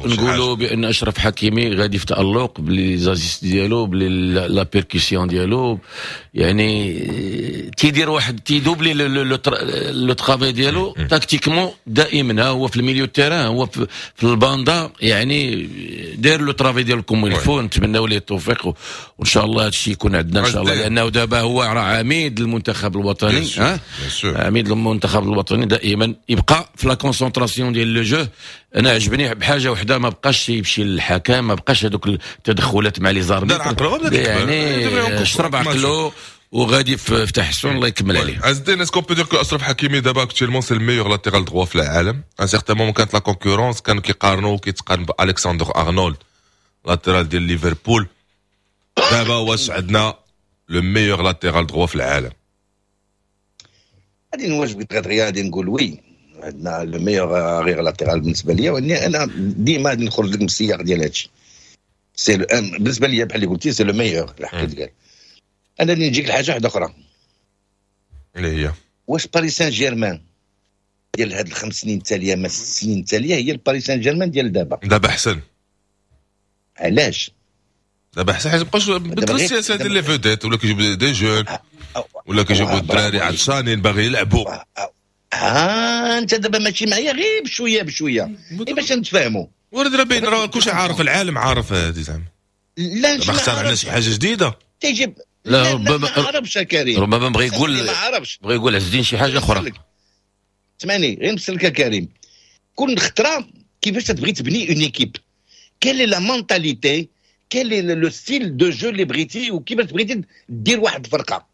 نقولوا بان اشرف حكيمي غادي في تالق ب les assists ديالو، ب la percussion ديالو، يعني تيدير واحد تيدوبلي le travail ديالو tactiquement دائما، هو في ال milieu terrain، هو في الباندا، يعني داير le travail ديالو comme il faut. نتمناو ليه التوفيق وان شاء الله هذا الشيء يكون عندنا ان شاء الله، لانه دابا هو راه عميد المنتخب الوطني، ها عميد المنتخب الوطني، دائما يبقى في la concentration ديال le jeu. انا عجبني بحاجة وحده، ما بقاش يمشي للحكم، ما بقاش هذوك التدخلات مع les arbitres، يعني شرب عقلو وغادي في تحسن، الله يكمل عليه. عز الدين، est-ce qu'on peut dire que اشرف حكيمي دابا actuellement c'est le meilleur latéral droit في العالم؟ un certain moment كانت la concurrence، كانوا كيقارنوا، كيتقارن بالكسندر ارنولد latéral ديال ليفربول. دابا واش عندنا le meilleur latéral droit في العالم؟ غادي نواجبك دغيا، غادي نقول oui، عندنا le meilleur arrière latéral بالنسبة ليا. واني انا ديما غادي نخرج لك من السياق ديال هادشي، c'est بالنسبة ليا بحال اللي قلتي c'est le meilleur. الحق قال انا اللي نجيك لحاجة واحدة اخرى. اللي هي؟ واش باريس سان جيرمان ديال هاد ال5 سنين التاليه، ما 6 سنين التاليه، هي الباريس سان جيرمان ديال دابا؟ دابا احسن. علاش؟ دابا احسن حيت مابقاش بدلوا السياسة ديال les vedettes، ولا كيجيبوا des jeunes، ولا كيجيبوا الدراري عطشانين باغي يلعبوا. ها انت دابا ماشي معايا، غير بشوية بشوية باش نتفاهموا. ورد راه باين، راه كلشي عارف، العالم عارف هذه زعما. لا. ما اخترعنا شي حاجة جديده. تيجيب لا، ربما ما عرفش كريم. ربما بغى يقول ما عرفش. بغى يقول عز الدين شي حاجة اخرى. اسمعني غير نسلك كريم، كل خطره كيفاش تبغي تبني une équipe، quelle est la mentalité، quel est le style de jeu اللي بغيتي، وكيفاش بغيتي دير واحد الفرقه.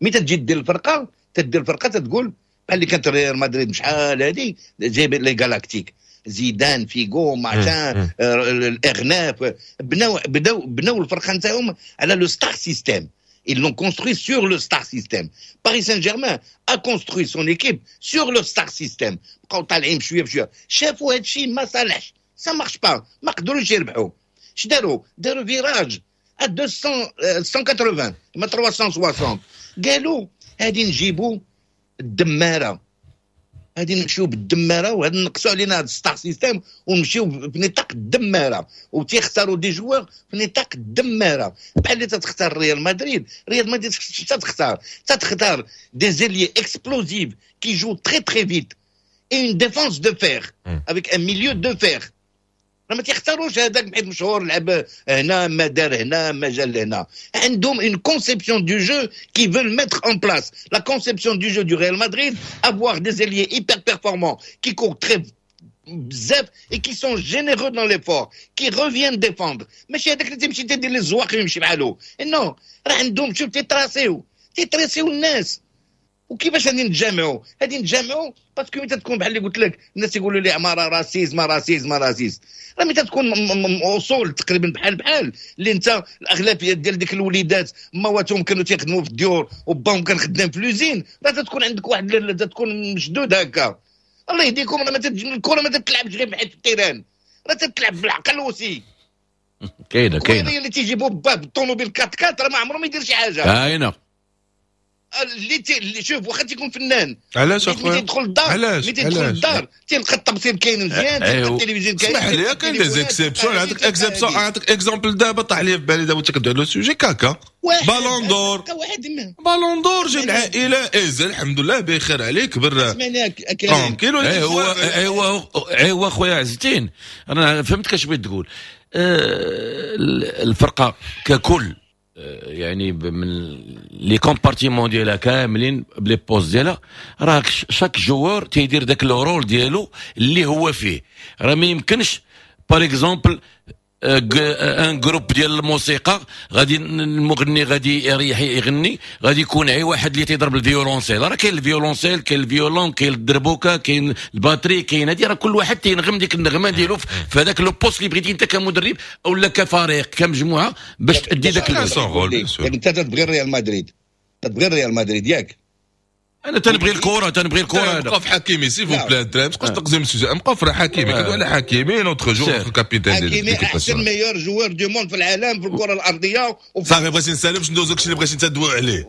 ملي تجي دير الفرقه، تدير الفرقة تقول بحال اللي كانت ريال مدريد شحال هادي، جايب les galactiques، زيدان، فيغو، machin، الاغناف، بناو بداو بناو الفرقة نتاعهم على le star system. Ils l'ont construit sur le star system. Paris Saint-Germain a construit son équipe sur le star system. بقاو طالعين بشوية بشويه، شافوا هذا الشيء ما صالحش، ça marche pas، ما قدروش يربحوا. اش داروا؟ داروا virage 200 180 ما 360، قالوا هادي نجيبوا الدماره. غادي نمشيو بالدماره وغادي نقصوا علينا هذا star system ونمشيو بنطاق الدماره، وتيختاروا des joueurs في نطاق الدماره، بحال اللي تتختار ريال مدريد. ريال مدريد تختار des ailiers explosifs qui jouent très très vite et une défense de fer avec un milieu de fer. ما تيختاروش هذاك حيت مشهور، لعب هنا، ما دار هنا، ما جا لهنا. عندهم une conception du jeu qu'ils veulent mettre en place. la conception du jeu du Real Madrid، avoir des ailiers hyper performants qui courent très بزاف et qui sont généreux dans l'effort، qui reviennent défendre. ماشي هذاك اللي تمشي تدير لي الزواق ويمشي بحالو. non، راه عندهم، شوف، تيتراسيو الناس. وكيفاش غادي نتجامعوا؟ غادي نتجامعوا parce que ملي تكون، بحال اللي قلت لك، الناس يقولوا لي عمارة racisme racisme racisme. راه ملي تكون اصول تقريبا بحال بحال، اللي انت الاغلبية ديال ديك الوليدات مواتهم كانوا تيخدموا في الديور وباهم كان خدام في l'usine، راه تكون عندك واحد تكون مشدود هكا. الله يهديكم، راه الكره ما تتلعبش غير بحال في ال terrain، راه تتلعب بالعقل aussi. كاينه كاينه. اللي تيجيبوا باه بالطوموبيل 4 4 راه ما عمره ما يدير شي حاجه. كاينه. اللي شوف، واخا تيكون فنان. علاش اخويا؟ تيدخل الدار، علاش؟ ملي تيدخل الدار تيلقى التبصير كاين مزيان، تيلقى التلفزيون كاين. اسمح لي، كاين des exceptions. عندك exception، عندك exemple دابا طاح لي في بالي دابا انت كدوي على sujet، كاكا ballon d'or، ballon d'or جاب العائله، ايز الحمد لله بخير عليك، كبر tranquille. ايوا ايوا ايوا خويا عز الدين، انا فهمتك اش بغيت تقول. الفرقة ككل، يعني من les compartiments ديالها كاملين ب les postes ديالها، راه chaque joueur تيدير داك le rôle ديالو اللي هو فيه. راه ما يمكنش par exemple un groupe ديال الموسيقى، غادي المغني غادي يريح يغني، غادي يكون اي واحد اللي تيضرب الفيولونسيل. راه كاين الفيولونسيل، كاين ال violon، كاين الدربوكه، كاين ال batterie، كاين هادي. راه كل واحد تينغم ديك النغمة ديالو في هذاك le poste اللي بغيتي انت كمدرب او لا كفريق كمجموعة باش تادي ذاك. انت تبغي ريال مدريد، تبغي ريال مدريد، ياك؟ انا تنبغي الكره، تنبغي الكره. نبقى في حكيمي s'il vous plaît الدراري، ما تبقاش تقزم ال sujet. نبقى في حكيمي، كندوي على حكيمي، notre joueur، notre capitaine. حكيمي احسن meilleur joueur du monde في العالم، في الكره الارضيه. صافي، بغيتي نسالم باش ندوزو داكشي اللي بغيتي انت تدوي عليه.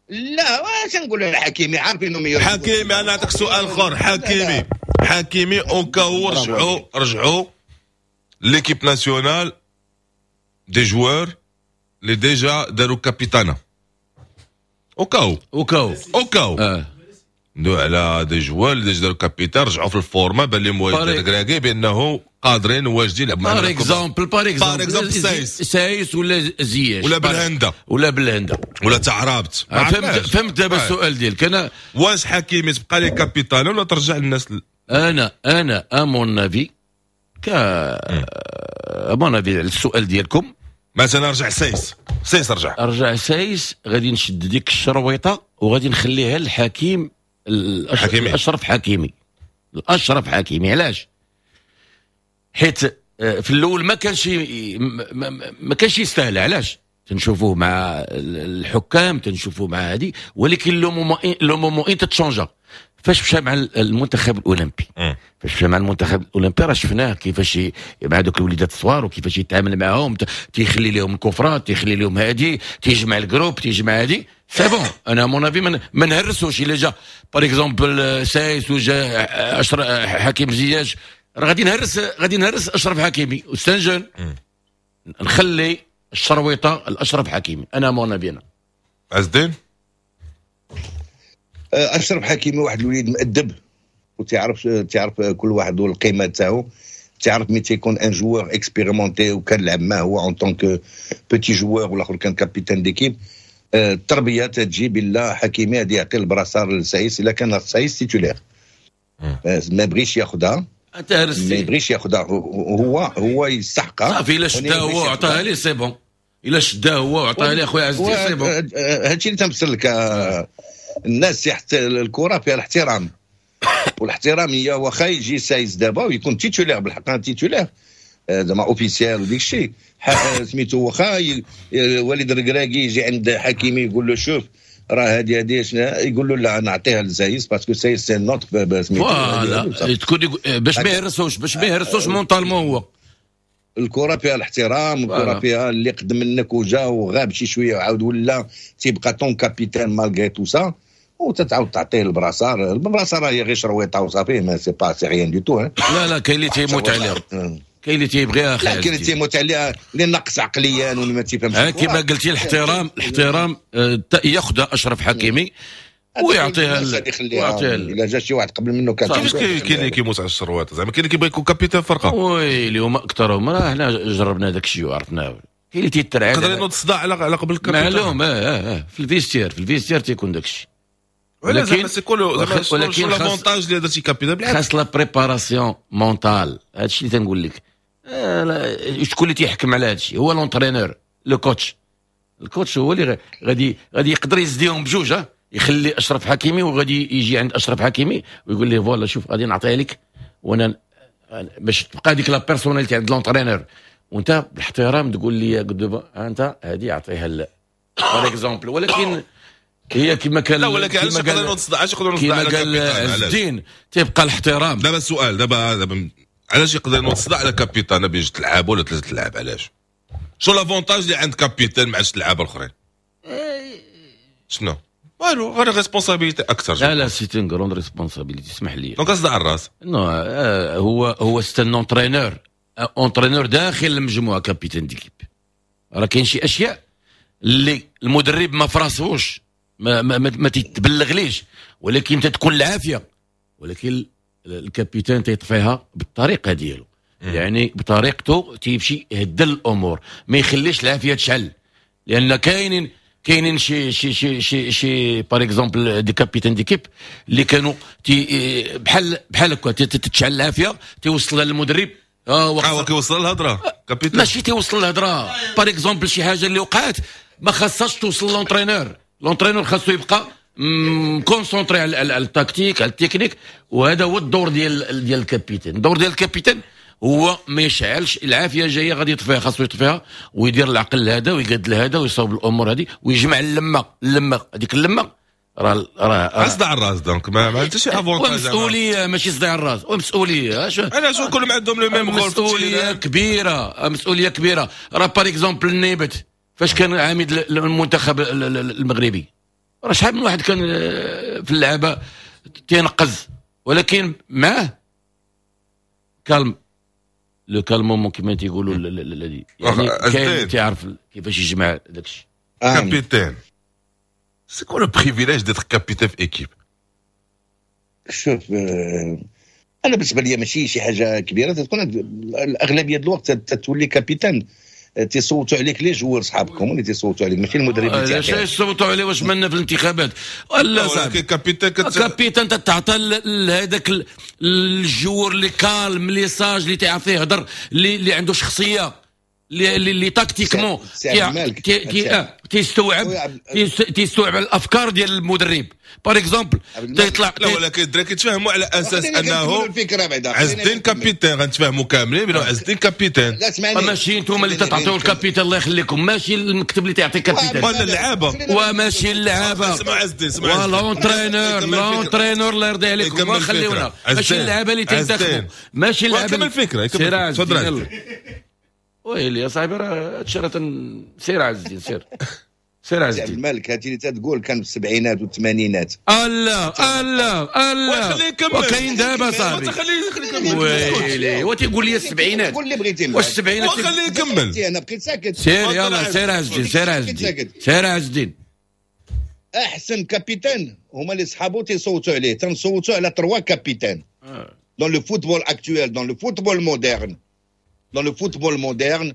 لا، واش نقول على حكيمي؟ عارفين انه meilleur. حكيمي، انا نعطيك سؤال اخر. حكيمي، حكيمي au cas où رجعوا l'équipe nationale des joueurs اللي déjà داروا capitanat، au cas où. au cas où. au cas où ندوي على des joueurs اللي déjà داروا capitaine، رجعوا في ال forme، بان لهم وليد الركراكي بانه قادرين وواجدين يلعبوا par exemple، par exemple. par exemple سايس. سايس ولا زياش. ولا بالهنده. ولا بالهنده. ولا تعرابت. فهمت، فهمت دابا السؤال ديالك انا. واش حكيمي تبقى لي capitaine ولا ترجع للناس؟ انا à mon avis، ك à mon avis السؤال ديالكم. مثلا رجع سايس، سايس رجع. رجع سايس، غادي نشد ديك الشرويطه وغادي نخليها للحكيم. حكيمي. الاشرف حكيمي، الاشرف حكيمي. علاش؟ حيت في الاول ما كانش يستاهل. علاش؟ تنشوفوه مع الحكام، تنشوفوه مع هذه، ولكن le moment où تتشونجا فاش مشى مع المنتخب الاولمبي. فاش مشى مع المنتخب الاولمبي راه شفناه كيفاش مع دوك الوليدات الصغار وكيفاش يتعامل معاهم، تيخلي لهم الكفرات، تيخلي لهم هادي، تيجمع ال groupe، تيجمع هادي. c'est bon، انا à mon avis ما نهرسوش. الا جا par exemple سايس وجا حكيم زياش، راه غادي نهرس اشرف حكيمي، c'est un jeune. نخلي الشرويطه الاشرف حكيمي، انا à mon avis انا. عز الدين. اشرف حكيمي واحد الوليد مؤدب وتعرف تعرف كل واحد والقيمة تاعو. تعرف ملي تيكون un joueur expérimenté وكان لعب معاه هو en tant que petit joueur والاخر كان capitaine d'équipe، التربية تجي بالله. حكيمي غادي يعطي ال brassard لسايس الا كان سايس titulaire. ما بغيش ياخذها. انت هرستي. ما يبغيش ياخذها، هو يستحقها. صافي، الا شدها هو وعطاها لي c'est bon. الا شدها هو وعطاها لي اخويا عز الدين c'est bon. هادشي اللي تنفسر لك. الناس تحت الكره فيها الاحترام، والاحترام هي واخا يجي سايس دابا ويكون titulaire، بالحق titulaire زعما officiel وديك الشيء سميتو، واخا وليد الركراكي يجي عند حكيمي يقول له شوف راه هادي هادي، يقول له لا، نعطيها لسايس parce que سايس c'est notre سميتو. voilà، تكون باش ما يهرسوش mentalement هو. الكره فيها الاحترام، الكره فيها اللي قدم منك وجا وغاب شي شوية وعاود ولا تيبقى ton capitaine malgré tout ça. وتتعاود تعطيه ال brassard. ال brassard هي غير شرويطه وصافي، mais c'est pas c'est rien du tout. لا لا، كاين اللي تيموت عليها، كاين اللي تيبغيها. لا، كاين اللي تيموت عليها اللي نقص عقليا واللي ما تيفهمش. كما قلتي، الاحترام الاحترام، ياخذها اشرف حكيمي ويعطيها. ويعطيها الا جا شي واحد قبل منه. كان كيفاش كاين اللي كيموت على الشرويطه؟ زعما كاين اللي كيبغي يكون capitaine فرقه؟ ويلي، هما اكثرهم. راه حنا جربنا داك الشيء وعرفناه، كاين اللي تيترعد. يقدر ينوض الصداع على قبل ال capitaine. معلوم، في ال vestiaire، في ال vestiaire تيكون داك الشيء. ولكن c'est quoi ولكن l'avantage اللي درتي capitaine؟ بالعكس، خاص la préparation mentale. هادشي اللي تنقول لك، شكون اللي تيحكم على هادشي؟ هو l'entraîneur، le coach. ال coach هو اللي غادي يقدر يزديهم بجوج، يخلي اشرف حكيمي وغادي يجي عند اشرف حكيمي ويقول ليه voilà، شوف، غادي نعطيها لك وانا باش تبقى ديك la personnalité عند l'entraîneur، وانت بالاحترام تقول لي انت هذه اعطيها par exemple. ولكن هي كما كان لا، ولكن علاش يقدروا علاش يقدروا؟ كما قال عز الدين، تيبقى الاحترام. دابا السؤال، دابا علاش يقدر ينوض صداع على capitaine بين جوج تلعب ولا ثلاثة تلعب؟ علاش؟ شو l'avantage اللي عند capitaine مع جوج اللعابه الاخرين؟ شنو؟ والو، غير responsabilité اكثر. لا لا، c'est une grande responsabilité، اسمح لي. donc صداع الراس. non، هو c'est un entraîneur، entraîneur داخل المجموعه، capitaine d'équipe. راه كاين شي اشياء اللي المدرب ما فراسوش، ما تتبلغليش، ولكن تتكون العافيه، ولكن ال capitaine تيطفيها بالطريقة ديالو، يعني بطريقته تيمشي يهدل الامور، ما يخليش العافية تشعل، لان كاينين شي par exemple des capitaines d'équipe اللي كانوا تي بحال هكا تتشعل العافيه، تيوصل للمدرب. اه، كيوصل الهضرة capitaine؟ ماشي تيوصل الهضره، par exemple شي حاجة اللي وقعت ما خاصهاش توصل l'entraîneur. l'entraîneur خاصو يبقى concentré على ال tactique، على التكنيك، وهذا هو الدور ديال ال capitaine. الدور ديال ال capitaine هو ما يشعلش العافيه، جاية غادي يطفيها، خاصو يطفيها ويدير العقل هذا ويقاد هذا ويصاوب الامور هذه ويجمع اللمه. اللمة هذيك، اللمة راه صداع الراس، donc ما حتى شي avantage. مسؤوليه، ماشي صداع الراس، ومسؤوليه. علاش كلهم عندهم le même rôle؟ مسؤولية كبيره، مسؤولية كبيره. راه par exemple النيبت فاش كان عميد المنتخب المغربي، راه شحال من واحد كان في اللعبة تينقز، ولكن معاه calme، le calmement كما تيقولوا، يعني كاين تيعرف كيفاش يجمع داك الشيء. capitaine، c'est quoi le privilège d'être capitaine في équipe؟ شوف، انا بالنسبة لي ماشي شي حاجة كبيره. تكون الاغلبية الوقت تولي capitaine، تيصوتوا عليك les joueurs، صحابكم اللي تيصوتوا عليك، ماشي المدرب. اللي علاش يصوتوا عليه؟ واش منا في الانتخابات ولا صاحبي؟ capitaine capitaine تتعطى لهذاك ال joueur اللي calme، اللي sage، اللي تيعرف يهضر، اللي عنده شخصيه، اللي tactiquement تيستوعب الافكار ديال المدرب par exemple تيطلع. لا، ولكن الدراري كيتفاهموا على اساس انه عز الدين capitaine، غنتفاهموا كاملين بانه عز الدين capitaine. لا، اسمعني. ماشي انتم اللي تعطيو ال capitaine، الله يخليكم، ماشي المكتب اللي تعطي capitaine. ولا اللعابه. وماشي اللعابه. اسمع عز الدين، اسمع. l'entraîneur، l'entraîneur، الله يرضي عليكم، خليونا، ماشي اللعابه اللي تنتخبوا، ماشي اللعابه. كمل الفكره. تفضل. ويلي يا صاحبي، راه هادشي راه سير عز الدين، سير سير عز الدين. الملك، هادشي اللي تقول كان في السبعينات والثمانينات. الله الله الله، خليه يكمل. وكاين دابا صاحبي. خليه يكمل. ويلي، وتيقول لي السبعينات. قول اللي بغيتي. واش السبعينات؟ وخليه يكمل. انا بقيت ساكت. سير، يلا سير عز الدين، سير عز الدين، سير عز الدين. احسن capitaine هما اللي صحابو تيصوتوا عليه. تنصوتوا على trois capitaines dans le football actuel، dans le football moderne، dans le football moderne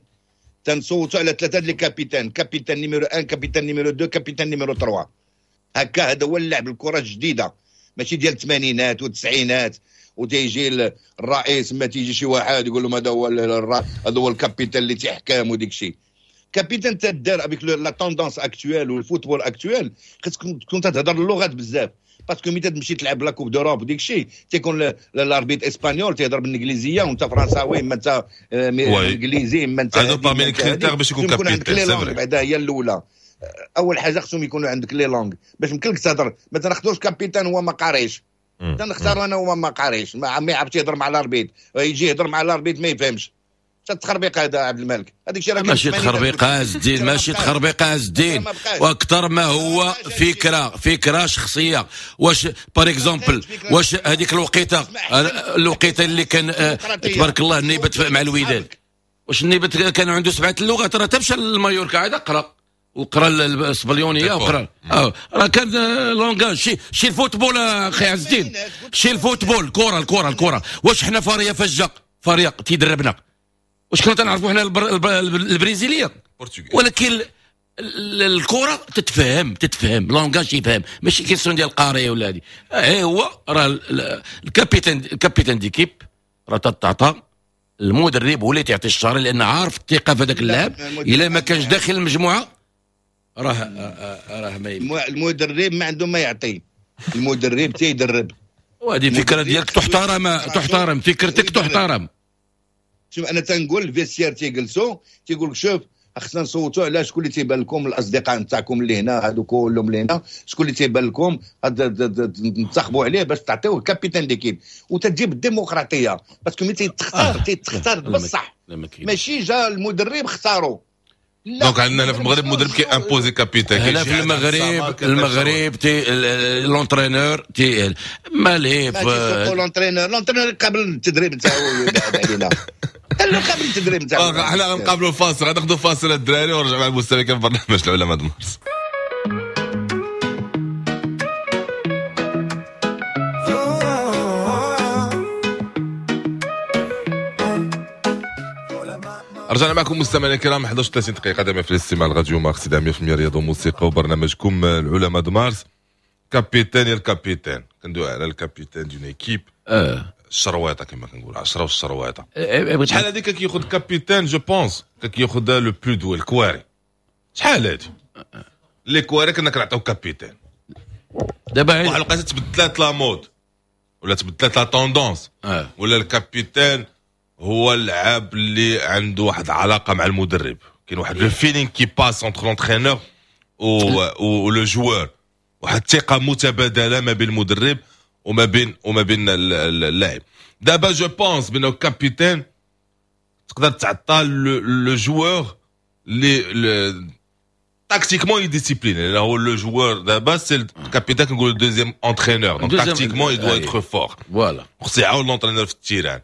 تنصوتوا على ثلاثة les capitaines: capitaine numéro 1، capitaine numéro 2، capitaine numéro 3. هكا هذا هو اللعب، الكره الجديده، ماشي ديال الثمانينات والتسعينات، وتيجي الرئيس، ما تيجي شي واحد يقول لهم هذا هو ال capitaine اللي تيحكم وديك الشيء. capitaine تدار avec la tendance actuelle وال football actuel، خاصك تكون تهضر اللغات بزاف، parce que ملي تمشي تلعب la Coupe d'Europe وديك الشيء، تيكون l'arbitre espagnol تيهضر بالانجليزية وانت فرنساوي، ما انت انجليزي، ما انت هذا parmi les critères باش يكون capitaine. بعدا هي الاولى، اول حاجة خصهم يكونوا عندك les langues باش يمكن لك تهضر. ما تناخذوش capitaine هو ما قاريش، تنختار انا هو ما قاريش، ما يعرفش يهضر مع l'arbitre، يجي يهضر مع l'arbitre ما يفهمش. التخربيق هذا عبد الملك، هذاك الشيء راه ماشي تخربيق عز الدين، ماشي تخربيق عز الدين، واكثر ما هو فكرة شخصية. واش par exemple واش هذيك الوقيته اللي كان تبارك الله النيبت مع الوداد، واش النيبت كان عنده 7 اللغات؟ راه تمشى للمايوركا عاد قرا وقرا الاسبانيوليه وقرا راه كان langage شي ال football اخي عز الدين، شي ال football الكره الكره. واش حنا فاريا فجا فريق تيدربنا، واش كنا تنعرفوا حنا البرازيليه؟ ولكن الكره تتفهم langage يفهم، ماشي question ديال القاري ولا هذه. هو راه ال capitaine d'équipe راه تتعطى المدرب هو اللي تعطي الشهر، لان عارف الثقة في هذاك اللاعب. الا ما كانش داخل المجموعة راه ما المدرب ما عنده ما يعطي، المدرب تيدرب. وهذه فكرة ديالك تحترم، فكرتك تحترم. شوف انا تنقول ال vestiaire تيجلسوا تيقول لك شوف خصنا نصوتوا على شكون اللي تيبان لكم الاصدقاء نتاعكم اللي هنا هادو كلهم اللي هنا، شكون اللي تيبان لكم ننتخبوا عليه باش تعطيوه capitaine d'équipe، وتجيب الديمقراطية parce que ملي تيتختار بصح، ماشي جا المدرب اختارو. donc عندنا هنا في المغرب المدرب كي imposer capitaine. هنا في المغرب تي l'entraîneur تي مالي l'entraîneur قبل التدريب نتاعو يبعد علينا، قبل التدريب نتاعو. حنا غنقابلوا فاصل، غناخذوا فاصل الدراري ونرجع مع المستمعين في برنامج العلماء د مارس. رجعنا معكم مستمعينا الكرام 31 دقيقة دائما في الاستماع لراديو مارس 100% رياضة وموسيقى وبرنامجكم العلماء د مارس. capitaine ال capitaine، كندوي على ال capitaine d'une équipe الشرويطه كما كنقول 10 والشرويطه. شحال هذيك كياخذ capitaine je pense كياخذ le plus doué الكواري. شحال هادي les كواري كنا كنعطيو capitaine. دابا واحد الوقيته تبدلات la mode ولا تبدلات la tendance، ولا ال capitaine هو اللاعب اللي عنده واحد العلاقة مع المدرب، كاين واحد le feeling qui passe entre l'entraîneur و le joueur، واحد الثقة متبادلة ما بين المدرب وما بين اللاعب. دابا je pense بانه capitaine تقدر تعطى le joueur اللي tactiquement discipliné، لان هو le joueur دابا c'est ال capitaine كنقولوا deuxième entraîneur، donc tactiquement il doit être fort. voilà خصو يعاون l'entraîneur في ال terrain.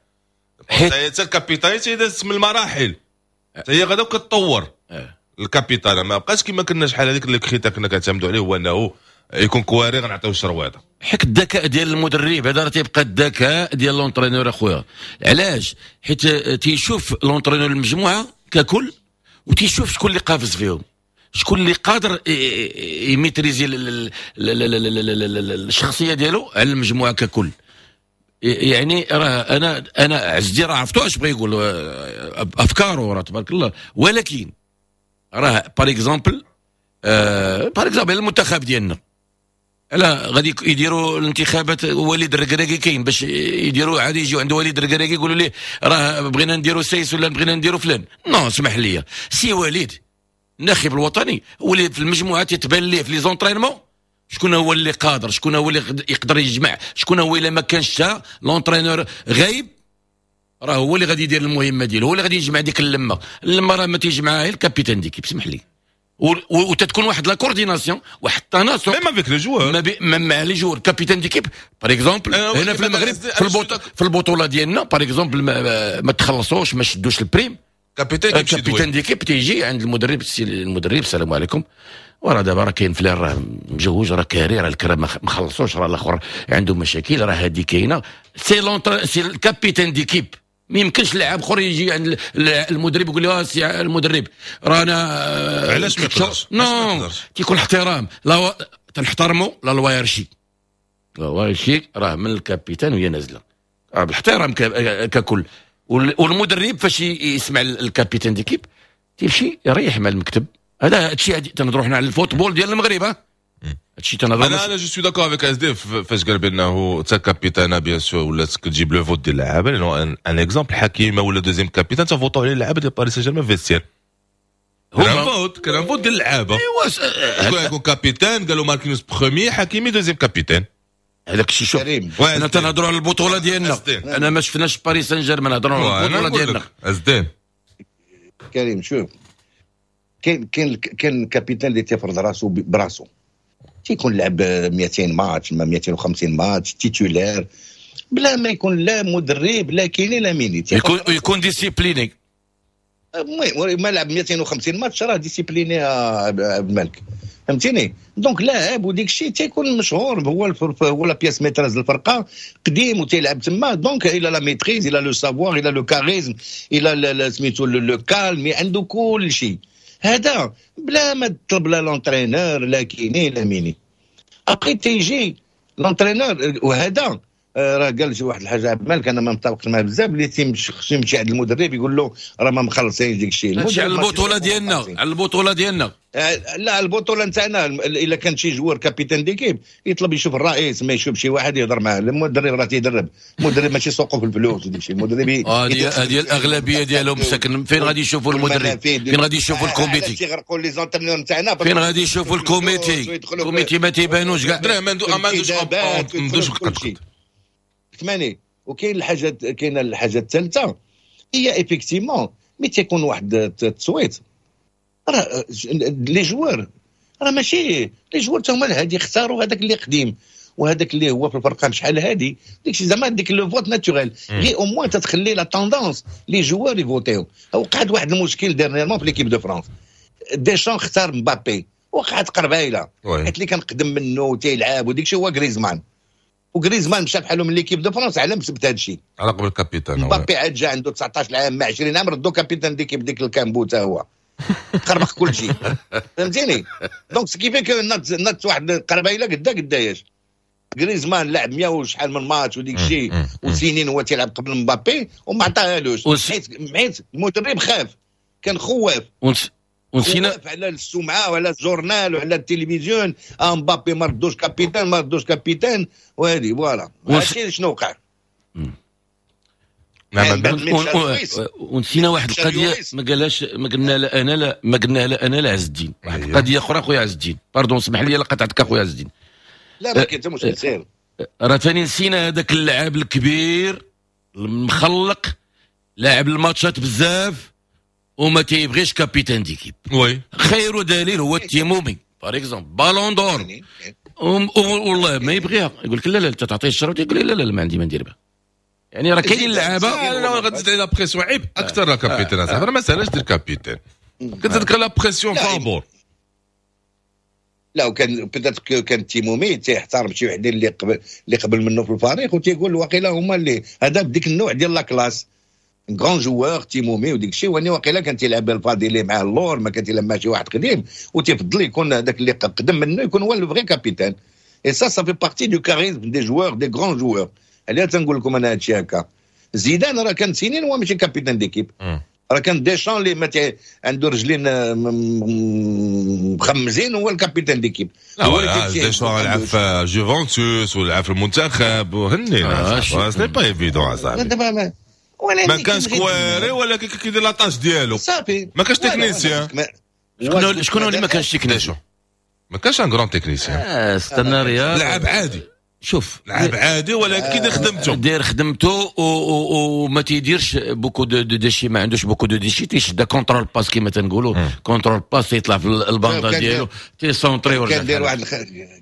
حتى ال capitaine تيداز من المراحل، حتى هي غادا وكتطور. ال capitaine ما بقاش كما كنا شحال هذيك اللي critère كنا كنعتمدوا عليه هو انه يكون كواري غنعطيو الشرويطه. حيت الذكاء ديال المدرب هذا راه تيبقى الذكاء ديال l'entraîneur اخويا. علاش؟ حيت تيشوف l'entraîneur المجموعة ككل، وتيشوف شكون اللي قافز فيهم، شكون اللي قادر ي maîtriser الشخصية ديالو على المجموعة ككل. يعني راه انا عزدي راه عرفتو اش بغى يقول، افكاره راه تبارك الله، ولكن راه par exemple par exemple المنتخب ديالنا لا غادي يديروا الانتخابات وليد الركراكي كاين باش يديروا عادي، يجيو عند وليد الركراكي يقولوا ليه راه بغينا نديروا سيس ولا بغينا نديروا فلان. non اسمح لي سي وليد الناخب الوطني هو اللي في المجموعة تتبان ليه في les entraînements شكون هو اللي قادر، شكون هو اللي يقدر يجمع، شكون هو الا ما كانش l'entraîneur غايب راه هو اللي غادي يدير المهمة ديالو، هو اللي غادي يجمع ديك اللمة. اللمة راه ما تيجمعها غير ال capitaine d'équipe اسمح لي، وتتكون واحد la coordination، واحد التناسق même avec les joueurs، مع les joueurs capitaine d'équipe par exemple. هنا في المغرب في البطولة ديالنا par exemple ما تخلصوش، ما شدوش ال prime، capitaine d'équipe تيجي عند المدرب، المدرب السلام عليكم، وراه دابا راه كاين فلان راه مجوج، راه كاري، راه الكرا ما خلصوش، راه الاخر عنده مشاكل، راه هادي كاينه. c'est c'est ال capitaine d'équipe، ما يمكنش لاعب اخر يجي عند المدرب يقول له سي المدرب رانا علاش ما يقدرش. non تيكون احترام، لا تنحترموا la hiérarchie، la hiérarchie راه من ال capitaine وهي نازله بالاحترام ككل. والمدرب فاش يسمع ال capitaine d'équipe تيمشي يريح مع المكتب. هذا هادشي تنهضروا حنا على ال football ديال المغرب. هادشي تنهضروا. انا je suis d'accord avec SD فاش قال بانه تا capitaine bien sûr ولات كتجيب le vote ديال اللعابه، لانه un exemple حكيمة ولا deuxième capitaine تفوتوا عليه اللعابه ديال باريس سان جيرمان في vestiaire. كان vote، كان vote ديال اللعابه. ايوا شكون يكون capitaine؟ قالوا ماركينوس premier، حكيمي deuxième capitaine. هذاك الشيء شوف حنا تنهضروا على البطولة ديالنا، انا ما شفناش باريس سان جيرمان، نهضروا على البطولة ديالنا. ازدين كريم شوف، كاين capitaine اللي تيفرض راسو براسو، تيكون لعب 200 ماتش ما 250 match titulaire بلا ما يكون لا مدرب لا kiné لا ميني. يكون discipliné. المهم ما لعب 250 ماتش راه discipliné عبد الملك، فهمتيني؟ donc لاعب وديك الشيء تيكون مشهور، هو la pièce maîtresse الفرقة، قديم وتيلعب تما، donc il a la maîtrise، il a le savoir، il a le charisme، il a سميتو le calme، عنده كل شيء. هذا بلا ما تطلب لا l'entraîneur لا kiné لا ميني. après تيجي l'entraîneur، وهذا راه قال شي واحد الحاجة عبد الملك، انا ما متفقش معاه بزاف، اللي خصو يمشي عند المدرب يقول له راه ما مخلصينش ديك الشيء. هادشي على البطولة ديالنا، على البطولة ديالنا. لا، البطولة نتاعنا الا كان شي joueur capitaine d'équipe يطلب يشوف الرئيس، ما يشوف شي واحد يهضر معاه. المدرب راه تيدرب، المدرب ماشي سوقه في الفلوس وديك الشيء. المدرب هذه الاغلبية ديالهم ساكن. فين غادي يشوفوا المدرب؟ فين غادي يشوفوا ال comité؟ تيغرقوا les entraîneurs نتاعنا. فين غادي يشوفوا ال comité؟ ال comité ما تيبانوش كاع. ما عندوش قد. ثمانية. وكاين الحاجه، كاينه الحاجة الثالثه، هي effectivement mais تيكون واحد التصويت، راه les joueurs راه ماشي les joueurs هما هادي اختاروا هذاك اللي قديم وهذاك اللي هو في الفرقة شحال هادي، ديك زعما ديك le vote naturel، غير au moins تتخلي la tendance les joueurs يفوتيو. وقعت واحد المشكل dernièrement في l'équipe de France، ديشان اختار مبابي، وقعت قربايله حيت اللي كان قدم منه تيلعب وديك الشيء هو غريزمان، وغريزمان مشى بحالو من l'équipe de France على مسبت هذا الشيء. على قبل ال capitaine. مبابي عاد جا عنده 19 عام مع 20 عام، ردو capitaine d'équipe ديك الكامبو تا هو خربق كل شيء، فهمتيني؟ donc ce qui fait que نات واحد قربايله قدا قداياش. غريزمان لعب 100 وشحال من ماتش وديك الشيء وسنين هو تيلعب قبل مبابي وما عطاهالوش، حيت المدرب خاف، كان خواف ونسينا على السمعة وعلى ال journal وعلى التلفزيون، مبابي ما ردوش capitaine، ما ردوش capitaine، وهذه voilà هادشي شنو وقع. نعم. ونسينا واحد القضية ما قالهاش، ما قلنا لا انا لا ما قلنا لا انا لا عز الدين، واحد القضية اخرى خويا عز الدين، pardon اسمح لي لا قطعتك اخويا عز الدين. لا ما كاين حتى مشكل، سير. راه ثاني نسينا هذاك اللاعب الكبير المخلق، لاعب الماتشات بزاف وما تيبغيش capitaine d'équipe. oui خير دليل هو التيمومي par exemple، ballon d'or، والله ما يبغيها، يقول لك لا لا انت تعطيه الشرط، يقول لي لا لا ما عندي ما ندير بها. يعني راه كاينين اللعابه لا غادي تزيد la pression عيب اكثر la capitaine صاحبي، ما ساهلاش دير capitaine، كتزيدك la pression فابور. لا وكان peut-être كان تيمومي تيحترم شي وحدين اللي قبل منه في الفريق، وتيقول واقيلا هما اللي هذا بديك النوع ديال la classe، grand joueur تيمومي وديك الشيء، واني واقيلا كان تيلعب الفاضيلي مع اللور، ما كان تيلعب مع شي واحد قديم، وتيفضل يكون هذاك اللي قدم منه يكون هو le vrai capitaine. et ça ça fait partie du charisme des joueurs، des grands joueurs. عليها تنقول لكم انا هادشي هكا. زيدان راه كان سنين هو ماشي capitaine d'équipe، راه كان ديشان اللي ما عنده رجلين مخمزين هو ال capitaine d'équipe. هو ديشان لعب في جوفنتوس ولعب في المنتخب وهني، c'est pas évident صاحبي. ما كانش كواري ولكن كيدير la tâche ديالو. صافي. ما كانش technicien. شكون اللي ما كانش technicien؟ ما كانش un grand technicien. استنى رياض. لعب عادي. شوف. لعب عادي ولكن كيدير خدمته. داير خدمته وما تيديرش beaucoup de déchets، ما عندوش beaucoup de déchets، تيشد contrôle passe كيما تنقولوا، contrôle passe، يطلع في الباندا ديالو تيسونطري. ورجع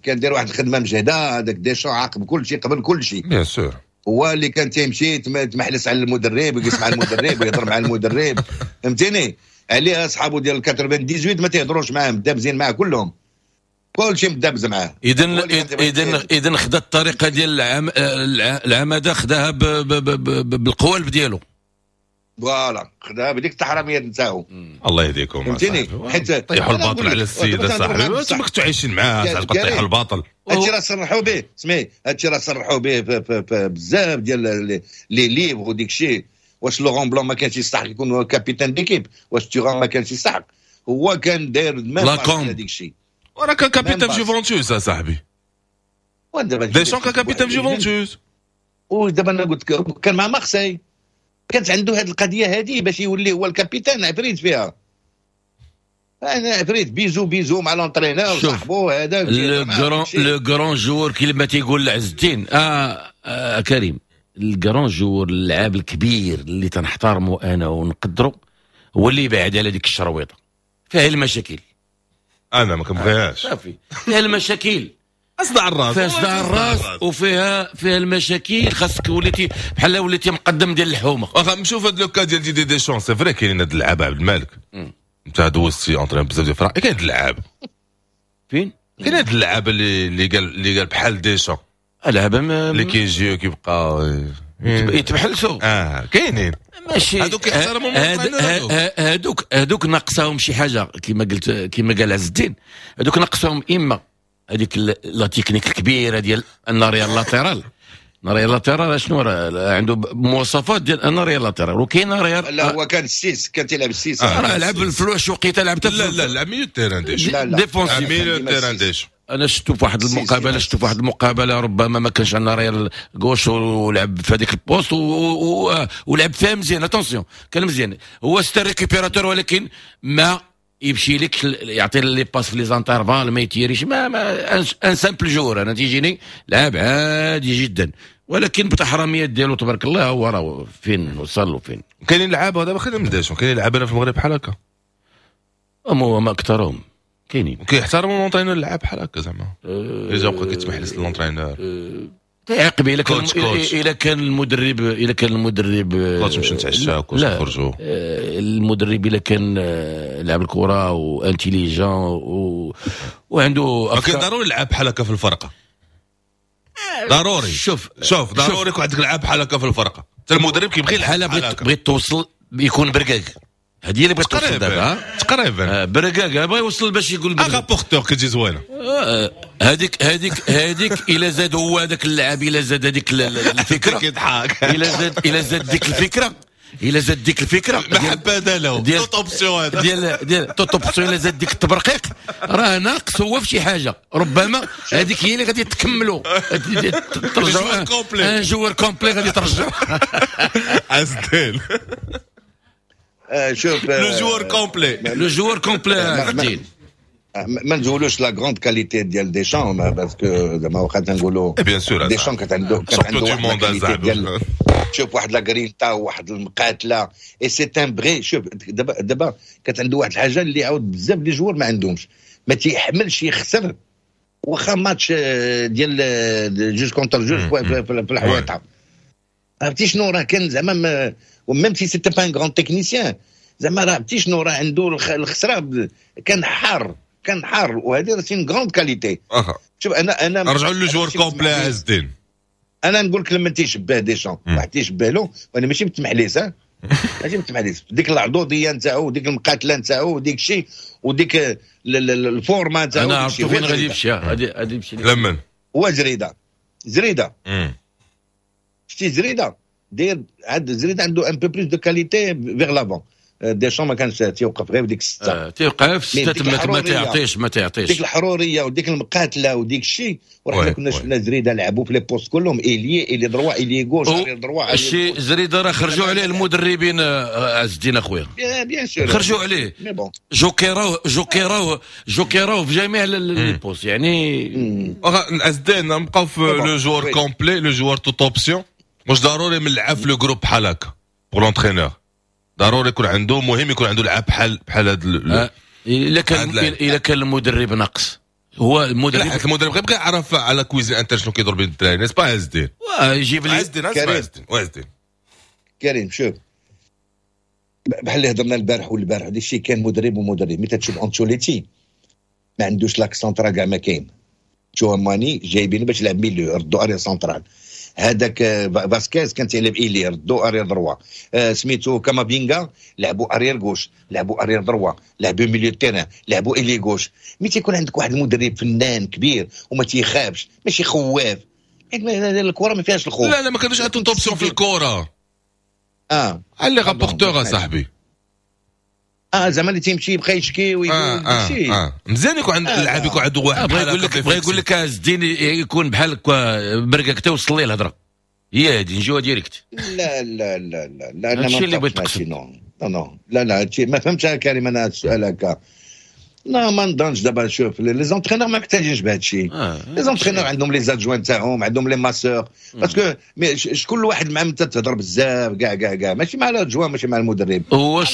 كان دير واحد الخدمة مجهده هذاك ديشون، عاقب كل شيء قبل كل شيء. bien sûr. هو اللي كان تيمشي تمحلس على المدرب ويجلس مع المدرب ويهضر مع المدرب، فهمتيني؟ عليها اصحابه ديال 98 ما تيهضروش معاه، مدابزين معاه كلهم، كل شيء مدابز معاه. اذا خدا الطريقة ديال العماده، خداها بالقوالب ديالو. voilà، خداها بديك التحرميات نتاعو. الله يهديكم. فهمتيني؟ حيت طيحوا الباطل على السيد صاحبي، انتم كنتوا عايشين معاه صاحبي، طيحوا الباطل. هادشي راه صرحوا به، سمي هادشي راه صرحوا به بزاف ديال les livres وديك الشيء. واش لورون بلون ما كانش يستحق يكون capitaine d'équipe؟ واش تيغان ما كانش يستحق؟ هو كان داير même هذيك الشيء. وراه كان capitaine في جوفونتوس صاحبي، ديشون كان capitaine في جوفونتوس. ودابا انا قلت لك كان مع مارسي، كانت عنده هذه القضية هذه باش يولي هو ال capitaine، عفريت فيها، انا عفريت bisou bisou مع l'entraîneur صاحبو هذا. le grand joueur كيما تيقول عز الدين كريم، ال grand joueur، اللاعب الكبير اللي تنحترمه انا ونقدره. هو اللي يبعد على ديك الشرويطه، فيها المشاكل. انا ما كنبغيهاش. صافي، فيها المشاكل. اصدع الراس. فيها صداع الراس وفيها المشاكل. خاصك وليتي بحال وليتي مقدم ديال الحومه. واخا نشوف هاد le cas ديال ديدي ديشون، c'est vrai كاينين هاد اللعابه. عبد الملك، انت دوزتي entraîneur بزاف ديال الفرق، كاين هاد اللعاب؟ فين؟ كاين هاد اللعابه اللي قال بحال ديشون. لعبه ما اللي كيجيو كيبقى يتبحلسوا. اه، كاينين. ماشي. هادوك كيحترموا هادوك ناقصاهم شي حاجه، كما قلت، كما قال عز الدين، هادوك ناقصاهم اما هذيك la technique الكبيرة ديال un arrière latéral. un arrière latéral شنو راه عنده مواصفات ديال un arrière latéral، وكاين arrière لا، هو كان ال six، كان تيلعب ال six. آه. راه لعب الفلوس وقيته لعب. لا لا، لعب milieu terrain ديشون. لا لا. défensif. milieu terrain ديشون. انا شفتو في واحد المقابله، شفتو في واحد المقابلة ربما ما كانش عندنا arrière gauche ولعب في هذيك ال poste ولعب فيها مزيان. attention، كان مزيان، هو c'est un récupérateur، ولكن ما يمشي لك يعطي les passes في les intervalles، ما يتيريش، ما un simple joueur. انا تيجيني لعاب عادي جدا، ولكن بتحرميات ديالو تبارك الله هو راه فين وصل وفين. كاينين لعابه دابا، خلينا من ديشون، كاينين لعابه في المغرب بحال هكا؟ هما ما اكثرهم كاينين. كيحترموا l'entraîneur، اللعاب بحال هكا زعما اذا بقى كيتمحلس l'entraîneur؟ تعاقب الا كان coach، coach. الا كان المدرب coach، نمشيو نتعشاو، coach. لا. نخرجوا. المدرب الا كان لعب الكره و intelligent وعنده ولكن افكار. ضروري لعاب بحال هكا في الفرقه، ضروري. شوف. شوف، ضروري يكون عندك لعاب بحال هكا في الفرقه، حتى المدرب كيبغي يلعب بحال بحال بغيت هكا. بغيت توصل يكون بركاك، هذه هي اللي بغيت توصل دابا. تقريبا تقريبا. بركاك بغا يوصل باش يقول بركاك. rapporteur كتجي زوينه. هذيك الا زاد هو هذاك اللاعب، الا زاد هذيك الفكره. كيضحك. الا زاد ديك الفكره، الا زاد ديك الفكرة محبة له ديال toute option هذا. ديال toute option، الا زاد ديك التبرقيق راه ناقص هو في شي حاجه، ربما هذيك هي اللي غادي تكملوا ترجعوا joueur complet. un joueur complet غادي ترجعوا. عز الدين. شوف. le joueur complet. le joueur complet عز الدين. ما نزولوش la grande qualité ديال ديشان، parce que زعما واخا تنقولوا bien sûr. ديشان كانت عنده واحد la qualité ديال، شوف، واحد la grinta، واحد المقاتله، et c'est un vrai. شوف دابا كانت عنده واحد الحاجة اللي عاود بزاف les joueurs ما عندهمش، ما تيحملش يخسر واخا ماتش ديال جوج contre جوج في الحويطه. عرفتي شنو؟ راه كان زعما même si c'était pas un grand technicien، زعما راه عرفتي شنو؟ راه عنده الخسره، كان حار، كان حار، وهذه راه c'est une grande qualité. شوف، انا نرجعوا le joueur complet عز الدين. انا نقول لك لما تيشبه ديشان، واحد تيشبه له، وانا ماشي متمحليس، ماشي متمحليس، ديك العضوضيه نتاعو، ديك المقاتلة نتاعو، وديك الشيء، وديك ال forme نتاعو. انا عرفت فين غادي يمشي، غادي يمشي. لمن؟ هو زريده، زريده. شتي زريده داير عاد زريده عنده un peu plus de qualité vers l'avant. ديشون ما كانش تيوقف غير في ديك السته. تيوقف في السته، ما تعطيش، ما تعطيش. ديك الحرورية وديك المقاتلة وديك الشيء، وراه كنا شفنا زريده لعبوا في les postes كلهم، ailier، ailier droit، ailier gauche، ailier droit. الشيء زريده راه خرجوا عليه المدربين، عز الدين اخويا. bien sûr. خرجوا عليه، جوكيراوه جوكيراوه جوكيراوه في جميع les postes يعني. عز الدين، نبقاو في le joueur complet، le joueur toutes options. واش ضروري من اللعاب في le groupe بحال هكا؟ pour l'entraîneur ضروري يكون عنده، مهم يكون عنده لعاب بحال هذا؟ الا كان المدرب ناقص هو المدرب. لا، المدرب غير بغى يعرف على cuisine interne شنو كيدور بين الدراري، n'est-ce pas عز الدين؟ يجيب لي عز الدين، عز الدين، عز الدين. كريم، شوف، بحال اللي هضرنا البارح والبارح، هذا الشيء كان مدرب ومدرب. ملي تشوف انشوليتي ما عندوش l'axe central كاع، ما كاين. تشواماني جايبينه باش يلعب milieu، ردو arrière central. هذاك فاسكيز كان تيلعب ailier، ردو arrière droit. سميتو كامافينغا لعبوا arrière gauche، لعبوا arrière droit، لعبوا milieu terrain، لعبوا ailier gauche. ملي تيكون عندك واحد المدرب فنان كبير وما تيخافش، ماشي خواف، الكره ما فيهاش الخوف. لا لا، ما كانوش عندهم toutes options في الكره. اه. les rapporteurs صاحبي. اه، زعما اللي تيمشي يبقى يشكي ويقول. آه. مزيان يكون عند اللاعب يكون عنده واحد. بغى يقول لك عز الدين يكون بحال بركاك، توصل ليه الهضرة هي هذه، نجيوها direct. لا لا لا لا لا. انا هادشي اللي بغيت تقصد. non non، لا لا، هادشي ما فهمتش كريم انا السؤال هكا. لا ما نظنش. دابا شوف، les entraîneurs ما محتاجينش بهذا الشيء. Les entraîneurs عندهم les adjoints تاعهم، عندهم les masseurs، parce que شكون الواحد مع من تهضر بزاف كاع كاع كاع؟ ماشي مع l'adjoint، ماشي مع المدرب. هو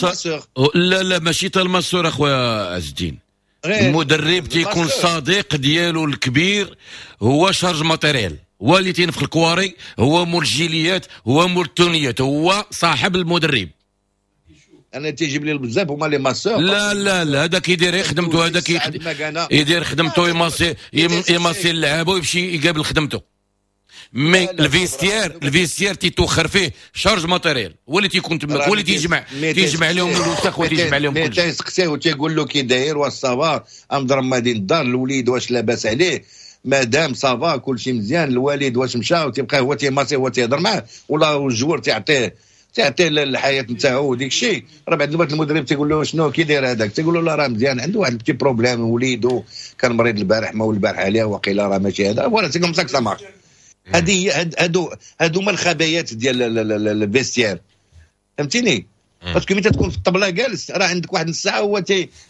لا لا، ماشي تا ال masseur اخويا عز الدين. المدرب تيكون الصديق ديالو الكبير هو chargé matériel، هو اللي تينفخ الكواري، هو مول الجيليات، هو مول التونيات، هو صاحب المدرب. انا تيجيب لي بزاف هما les masseurs. لا لا لا، هذا كيدير خدمته، هذا يدير خدمته، يماسي اللعابه ويمشي يقابل خدمته. mais ال vestiaire، ال vestiaire تيتوخر فيه chargé matériel، هو اللي تيكون تماك، هو اللي تيجمع لهم الوسخ وتيجمع لهم كلشي. تيسقسيه وتيقول له كي داير، واش ça va، امضرب مدينة الدار، الوليد واش لاباس عليه، مادام ça va، كلشي مزيان، الوالد واش مشى، وتيبقى هو تيماسي، هو تيهضر معاه، ولا ال joueur تعطيه الحياة نتاعو وديك الشيء. راه بعد الوقت المدرب تيقول له شنو كي داير هذاك، تيقول له لا راه مزيان، عنده واحد petit problème، وليدو كان مريض البارح، ما البارح عليه وقيله راه ماشي هذا. voilà، c'est comme ça ça marche. هذه هي، هادو هما الخبايات ديال ال vestiaire، فهمتيني؟ parce que ملي تكون في الطبلة جالس راه عندك واحد نص ساعة هو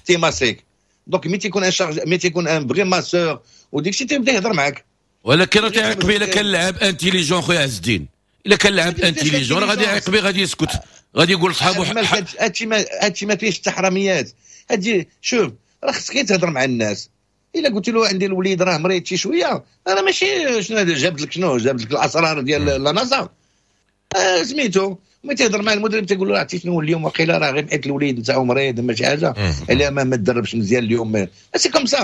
تيماسيك. donc ملي تيكون un chargé، ملي تيكون un vrai masseur وديك الشيء، تيبدا يهضر معاك. ولكن راه تيعيق به الا كان لعب intelligent. خويا عز الدين، الا كان لعب intelligent راه غادي يعيق به، غادي يسكت، غادي يقول لصحابو. هادشي ما فيهش التحرميات هادشي. شوف، راه خصك تهضر مع الناس. الا قلت له عندي الوليد راه مريض شي شويه، انا ماشي شنو جابت لك، شنو جابت لك الاسرار ديال la NASA. سميتو ملي تيهضر مع المدرب تيقول له عرفتي شنو، اليوم وقيله راه غير حيت الوليد نتاعو مريض، ماشي حاجه، الا ما تدربش مزيان اليوم. c'est comme ça،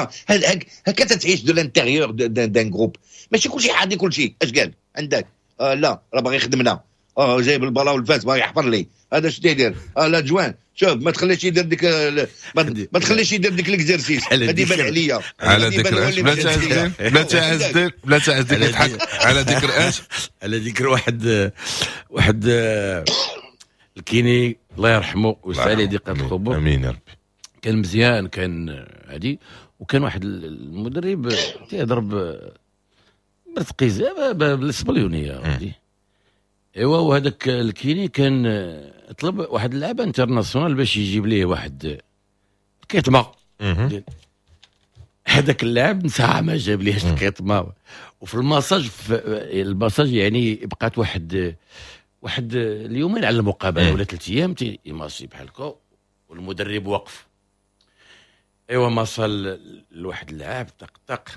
هكا تتعيش de l'intérieur d'un groupe. ماشي كلشي حاضي كلشي اش قال عندك. لا راه باغي يخدمنا، جايب البلا والفاس، باغي يحفر لي هذا، اش تيدير؟ L'adjoint، شوف ما تخليش يدير ديك، ما تخليش يدير ديك l'exercice، هذه يبان عليا. على ذكر اش؟ بلا تعز، بلا تعز، يضحك. على ذكر اش؟ على ذكر واحد ال kiné، الله يرحمه ويسع عليه ضيقه القبور. امين يا ربي. كان مزيان، كان هادي، وكان واحد المدرب تيهضر برتقيزه، بالاسبليونيه. ايوا، وهذاك ال kiné كان طلب واحد اللاعب international باش يجيب ليه واحد الكيتما. هذاك اللاعب نسى ما جاب ليهش الكيتما، وفي الماساج، في الماساج يعني بقات واحد اليومين على المقابلة ولا 3 ايام، تيماسي بحال هكا والمدرب وقف. ايوا، ما صل لواحد اللاعب، طق طق،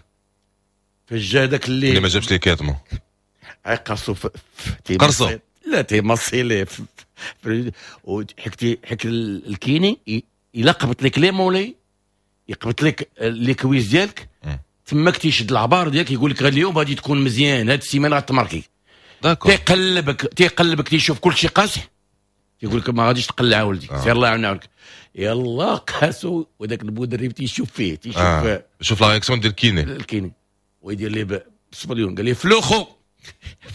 فجا هذاك اللي اللي ما جابش ليه كيتما. قرصو. قرصو. لا، تيمصي ليه، وحكتي حك ال kiné الا قبط لك les mollets، يقبط لك les cuisses ديالك، تماك تيشد العبار ديالك، يقول لك اليوم غادي تكون مزيان، هاد السيمانة غتماركي. تيقلبك تيقلبك، تيشوف كل شيء قاصح، تيقول لك ما غاديش تقلع ولدي. سير الله يعاونك. يلا قاسو، وذاك المدرب تيشوف فيه، تيشوف. شوف la réaction ديال ال kiné. ال kiné ويدير ليه بالصبليون، قال لي flojo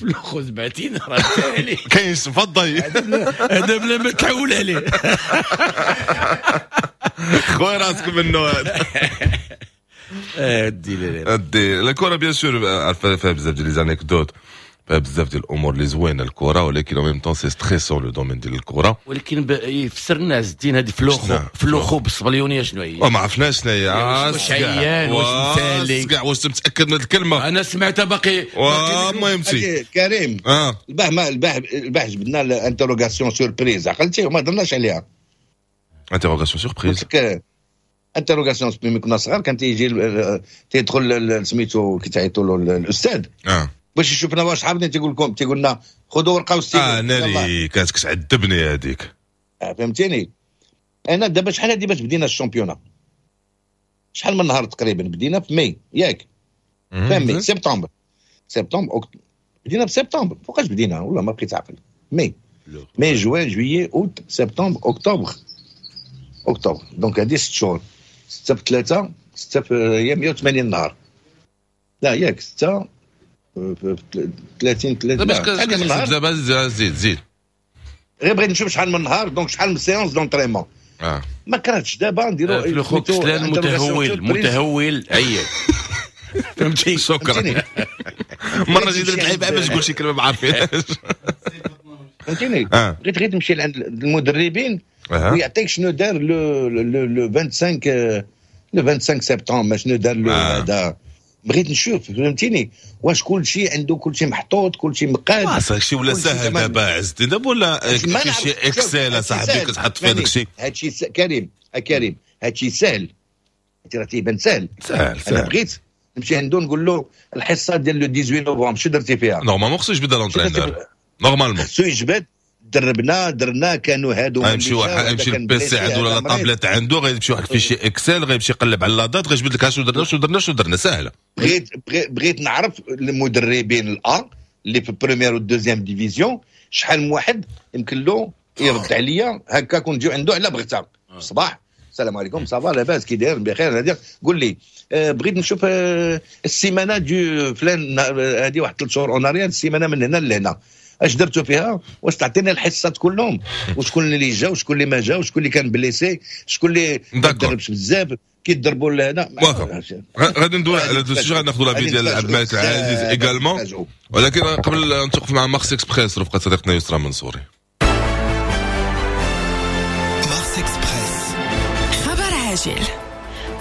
flojo، زبعتين راه عليه. كاين تفضل. هذا بلا ما تعول عليه. خويا راسك منه هذا. دي لا. دي الكره bien sûr فيها بزاف ديال les anecdotes، فيها بزاف ديال الامور اللي زوينة الكره، ولكن en même temps c'est stressant le domaine ديال الكره. ولكن يفسر لنا عز الدين هذه flojo flojo بالصبليونيه شنو هي؟ ما عرفناش شنو هي. واش عيان، واش مثالي؟ كاع واش متاكد من الكلمه؟ انا سمعتها باقي. المهم سي كريم، البارح ما البارح جبدنا ال interrogation surprise، عقلتي؟ وما درناش عليها. interrogation surprise؟ interrogation، ملي كنا صغار كان تيجي تيدخل سميتو كيتعيطوا له الاستاذ باش يشوفنا واش حافظين، تيقول لكم، تيقول لنا خذوا ورقة وستيلو. اه ناري، كانت كتعذبني هذيك. فهمتيني؟ انا دابا شحال هادي باش بدينا ال championnat؟ شحال من نهار تقريبا؟ بدينا في ماي، ياك؟ في mai، septembre، septembre، بدينا في سبتمبر. فوقاش بدينا؟ والله ما بقيت عاقل. mai، mai، juin، juillet، août، septembre، octobre، octobre، donc هادي 6 شهور. 6 في 3، 6 في هي 180 نهار، لا ياك؟ 6 في 30، 30. باش دابا زيد زيد. غير بغيت نشوف شحال من نهار، donc شحال من séance d'entraînement. ما كرهتش دابا نديرو flojo كسلان، متهول، متهول، عيان، فهمتي؟ شكرا. مرة جيت درت لعيبة باش تقول شي كلمة ما عارفينهاش. فهمتيني؟ بغيت غير تمشي لعند المدربين ويعطيك شنو دار le 25 le 25 سبتمبر شنو دار له هذا. بغيت نشوف فهمتيني واش كل شيء عنده، كل شيء محطوط، كل شيء مقاد. هادشي ولا ساهل دابا عزتي، دابا ولا شي Excel صاحبي كتحط فيه داكشي. هادشي كريم كريم، هادشي ساهل، هادشي راه تيبان ساهل ساهل. انا بغيت نمشي عنده نقول له الحصة ديال le 18 نوفمبر شنو درتي فيها؟ normalement خصو يجبد l'entraîneur، normalement خصو يجبد. دربنا درنا كانوا هادو، غيمشي واحد يمشي ال PC عنده ولا la tablette عنده، غيمشي واحد fichier Excel، غيمشي يقلب على la date، غيجبد لك شنو درنا شنو درنا شنو درنا. ساهله. بغيت نعرف المدربين الان اللي في première و deuxième division شحال من واحد يمكن له يرد عليا هكا، كون نجيو عنده على بغتة الصباح، السلام عليكم ça va لاباس كي داير بخير، هذه قول لي بغيت نشوف السيمانة du فلان هذه واحد 3 شهور en arrière، السيمانة من هنا لهنا اش درتو فيها، واش تعطينا الحصات كلهم، وشكون اللي جا وشكون اللي ما جا، وشكون اللي كان blessé، شكون اللي ما دربش بزاف كيضربوا لهنا. واخا غادي ندوي على هذا ال sujet، غادي ناخذ l'avis ديال عبد الملك العزيز également، ولكن قبل نتوقف مع Mars Express رفقه صديقتنا يسرا منصوري. Mars Express، خبر عاجل.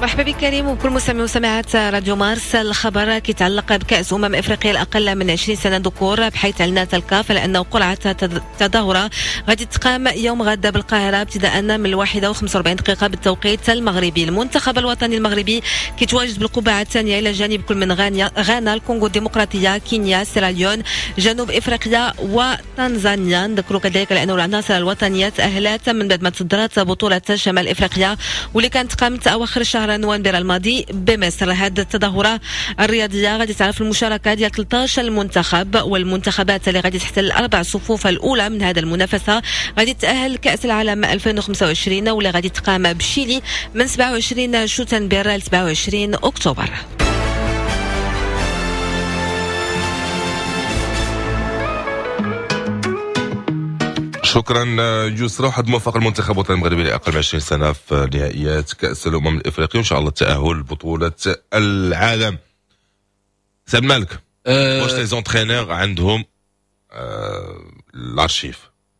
مرحبا بك كريم وكل مستمعي ومستمعات راديو مارس. الخبر كيتعلق بكأس افريقيا الاقل من 20 سنة ذكور، بحيث اعلنت الكاف على انه قرعه التظاهرة غادي تقام يوم غدا بالقاهرة ابتداء من 1:45 بالتوقيت المغربي. المنتخب الوطني المغربي كيتواجد بالقبعه الثانية الى جانب كل من غانا، الكونغو الديمقراطية، كينيا، سيراليون، جنوب افريقيا وتنزانيا. نذكروا كذلك لانه العناصر الوطنية تاهلت من بعد ما تصدرت بطوله شمال افريقيا واللي كانت قامت اواخر شهر نوفمبر الماضي بمصر. هذه التظاهرة الرياضية غادي تعرف المشاركة ديال 13 منتخب، والمنتخبات اللي غادي تحتل الأربع صفوف الأولى من هذا المنافسة غادي تأهل كأس العالم 2025 واللي غادي تقام بشيلي من 27 شتنبر ل 27 أكتوبر. شكرا يسرا. واحد موفق المنتخب الوطني المغربي لاقل من 20 سنة في نهائيات كاس الامم الافريقية، وان شاء الله التاهل لبطولة العالم. سي مالك، واش les entraîneurs عندهم الارشيف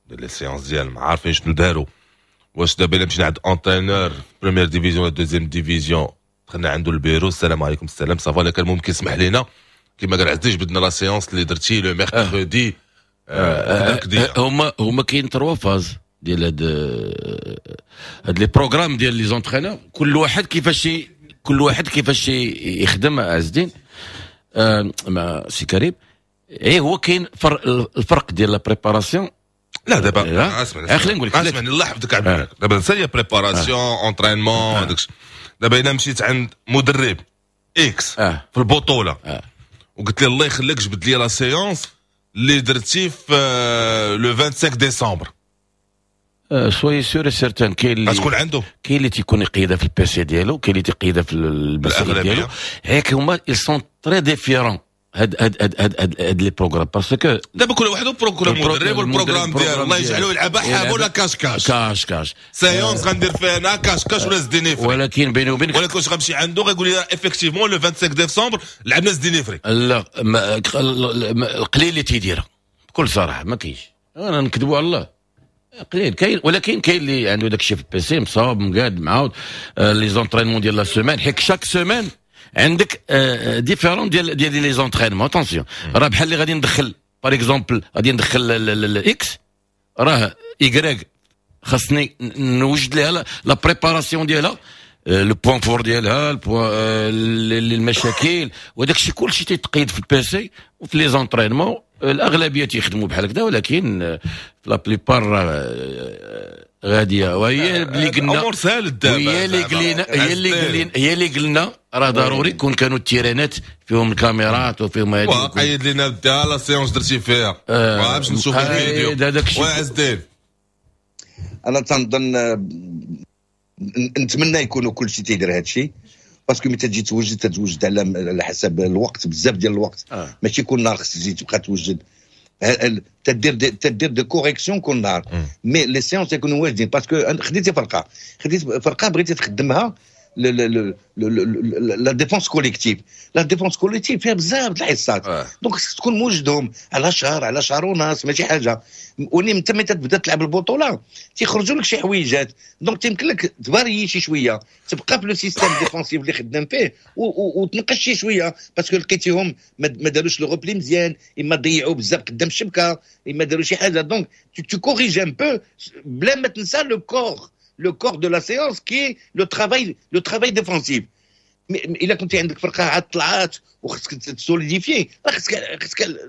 ديال les séances ديالهم، عارفين شنو داروا؟ واش دابا الا مشينا عند entraîneur première division ولا deuxième division، دخلنا عنده البيرو، السلام عليكم السلام ça va، كان ممكن يسمح لنا كما قال عزيز جبدنا la séance اللي درتي le mercredi. هما كاين trois phases ديال هاد les programmes ديال les entraîneurs، كل واحد كيفاش يخدم. عز الدين مع سي كريم، اي هو كاين الفرق ديال la préparation. لا دابا اسمع، خليني نقول لك، اسمعني الله يحفظك عبد الملك، دابا نسى préparation entraînement داكشي. دابا الا مشيت عند مدرب X في البطولة وقلت له الله يخليك جبد لي la séance اللي درتي في le 25 ديسمبر، soyez sûr certain كاين اللي غتكون عنده، كاين اللي تيكون يقيدها في ال PC ديالو، كاين اللي تيقيدها في المسائل ديالو. هيك هما ils sont très différents هاد هاد هاد هاد هاد les programmes، parce que دابا كل واحد كل مدرب وال programme ديالو، الله يجعلو يلعبها حاب ولا cache-cache cache-cache séance غندير فيها انا cache-cache ولا زديني فري. ولكن بيني وبينك، ولكن واش غنمشي عنده غيقول لي effectivement le 25 ديسمبر لعبنا زديني فري؟ لا، القليل اللي تيديرها بكل صراحة، ما كاينش، انا نكذبوا على الله قليل كاين، ولكن كاين اللي عنده داك الشيء في ال PC مصاوب مقاد معاود les entraînements ديال la semaine، حيت chaque semaine عندك différents ديال les entraînements. attention راه بحال اللي غادي ندخل par exemple غادي ندخل ال X، راه Y خاصني نوجد لها la préparation ديالها، le point fort ديالها، المشاكل وداك الشيء كلشي تيتقيد في ال PC وفي les entraînements. الاغلبية تيخدموا بحال هكذا، ولكن في la plupart غادية. وهي اللي قلنا، هي اللي قلنا، هي اللي قلنا راه ضروري كون كانوا التيرانات فيهم الكاميرات وفيهم هذه. وقيد لنا دا la séance درتي فيها باش نشوف الفيديو. وعز الدين، انا تنظن نتمنى يكونوا كل شيء تيدير هذا الشيء، parce que ملي تجي توجد تتوجد على حسب الوقت، بزاف ديال الوقت. ماشي كل نهار خصك تجي تبقى توجد، تدير des corrections كل نهار، mais les séances يكونوا واجدين. parce que خديتي فرقه، بغيتي تخدمها la défense collective. la défense collective فيها بزاف د الحصات، donc خصك تكون موجدهم على شهر، على شهر ونص، ماشي حاجة. وني انت ملي تبدا تلعب البطولة تيخرجوا لك شي حويجات، donc تيمكن لك تفاريي شي شوية، تبقى في le système défensif اللي خدام فيه وتنقص شي شوية، parce que لقيتيهم ما داروش le repli مزيان، اما ضيعوا بزاف قدام الشبكة، اما داروا شي حاجة. donc tu corriges un peu بلا ما تنسى le corps de la séance qui est le travail défensif. الا كنت عندك فرقه عاد طلعات وخصك ت solidifier، راه خصك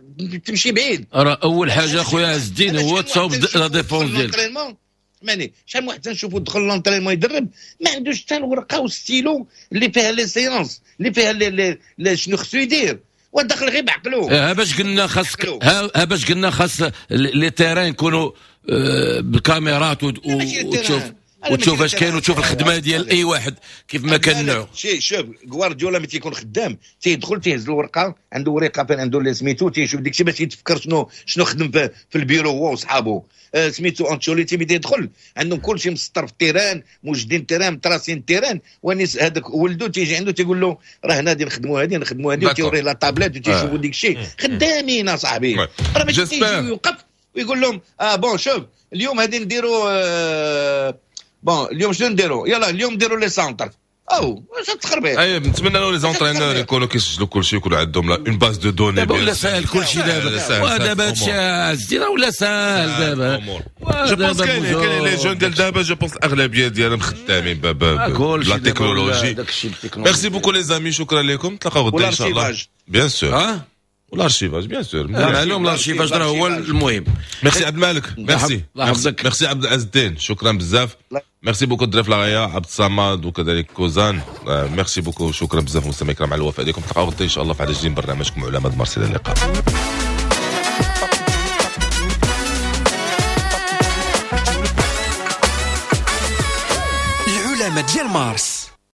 تمشي بعيد. راه اول حاجة خويا عز الدين هو تصاوب la défense ديالك. ماني شحال من واحد تنشوفو دخل l'entraînement يدرب ما عندوش حتى الورقة والستيلو اللي فيها les séances، اللي فيها les شنو خصو يدير، ودخل غير بعقلو. ها باش قلنا خاصك، ها باش قلنا خاص les terrains يكونوا بالكاميرات وتشوف اش كاين وتشوف الخدمة ديال اي واحد كيف ما كان نوعو. شوف غوارديولا ملي تيكون خدام تيدخل تيهز الورقة، عنده ورقة فين عنده اللي سميتو، تيشوف داكشي باش يتفكر شنو خدم في البيرو هو وصحابو. سميتو انشيلوتي ملي تيدخل عندهم كلشي مسطر في ال terrain، موجدين ال terrain، متراسين ال terrain، ونيس هذاك ولدو تيجي عنده تيقول له راه هنا غادي نخدموا هذه نخدموا هذه، وتيوريه la tablette وتيشوفوا داكشي. خدامين اصاحبي، راه ماشي تيجي يوقف ويقول لهم bon شوف اليوم غادي نديروا bon اليوم شنو نديرو؟ يلا اليوم نديرو les centres. او واش تخربيق. اي نتمنى لو les entraîneurs يكونوا كيسجلوا كلشي، يكونوا عندهم une base de données. دابا ولا ساهل كلشي دابا، ودابا هادشي عز الدين ولا ساهل دابا. je pense كاين les jeunes ديال دابا، je pense الاغلبية ديالهم خدامين ب la technologie. merci beaucoup les amis، شكرا لكم، نتلاقاو غدا ان شاء الله. bien sûr وال archivage bien sûr معلوم، l'archivage راه هو المهم. ميرسي عبد الملك، merci merci عبد العز الدين، شكرا بزاف. merci beaucoup دري فلاغيا، عبد الصمد وكذلك كوزان، merci beaucoup، شكرا بزاف مستمعي الكرام على الوفاء ديالكم. نتلاقاو غدا ان شاء الله في عدد جديد من برنامجكم علماء مارس. الى اللقاء. العلماء ديال مارس.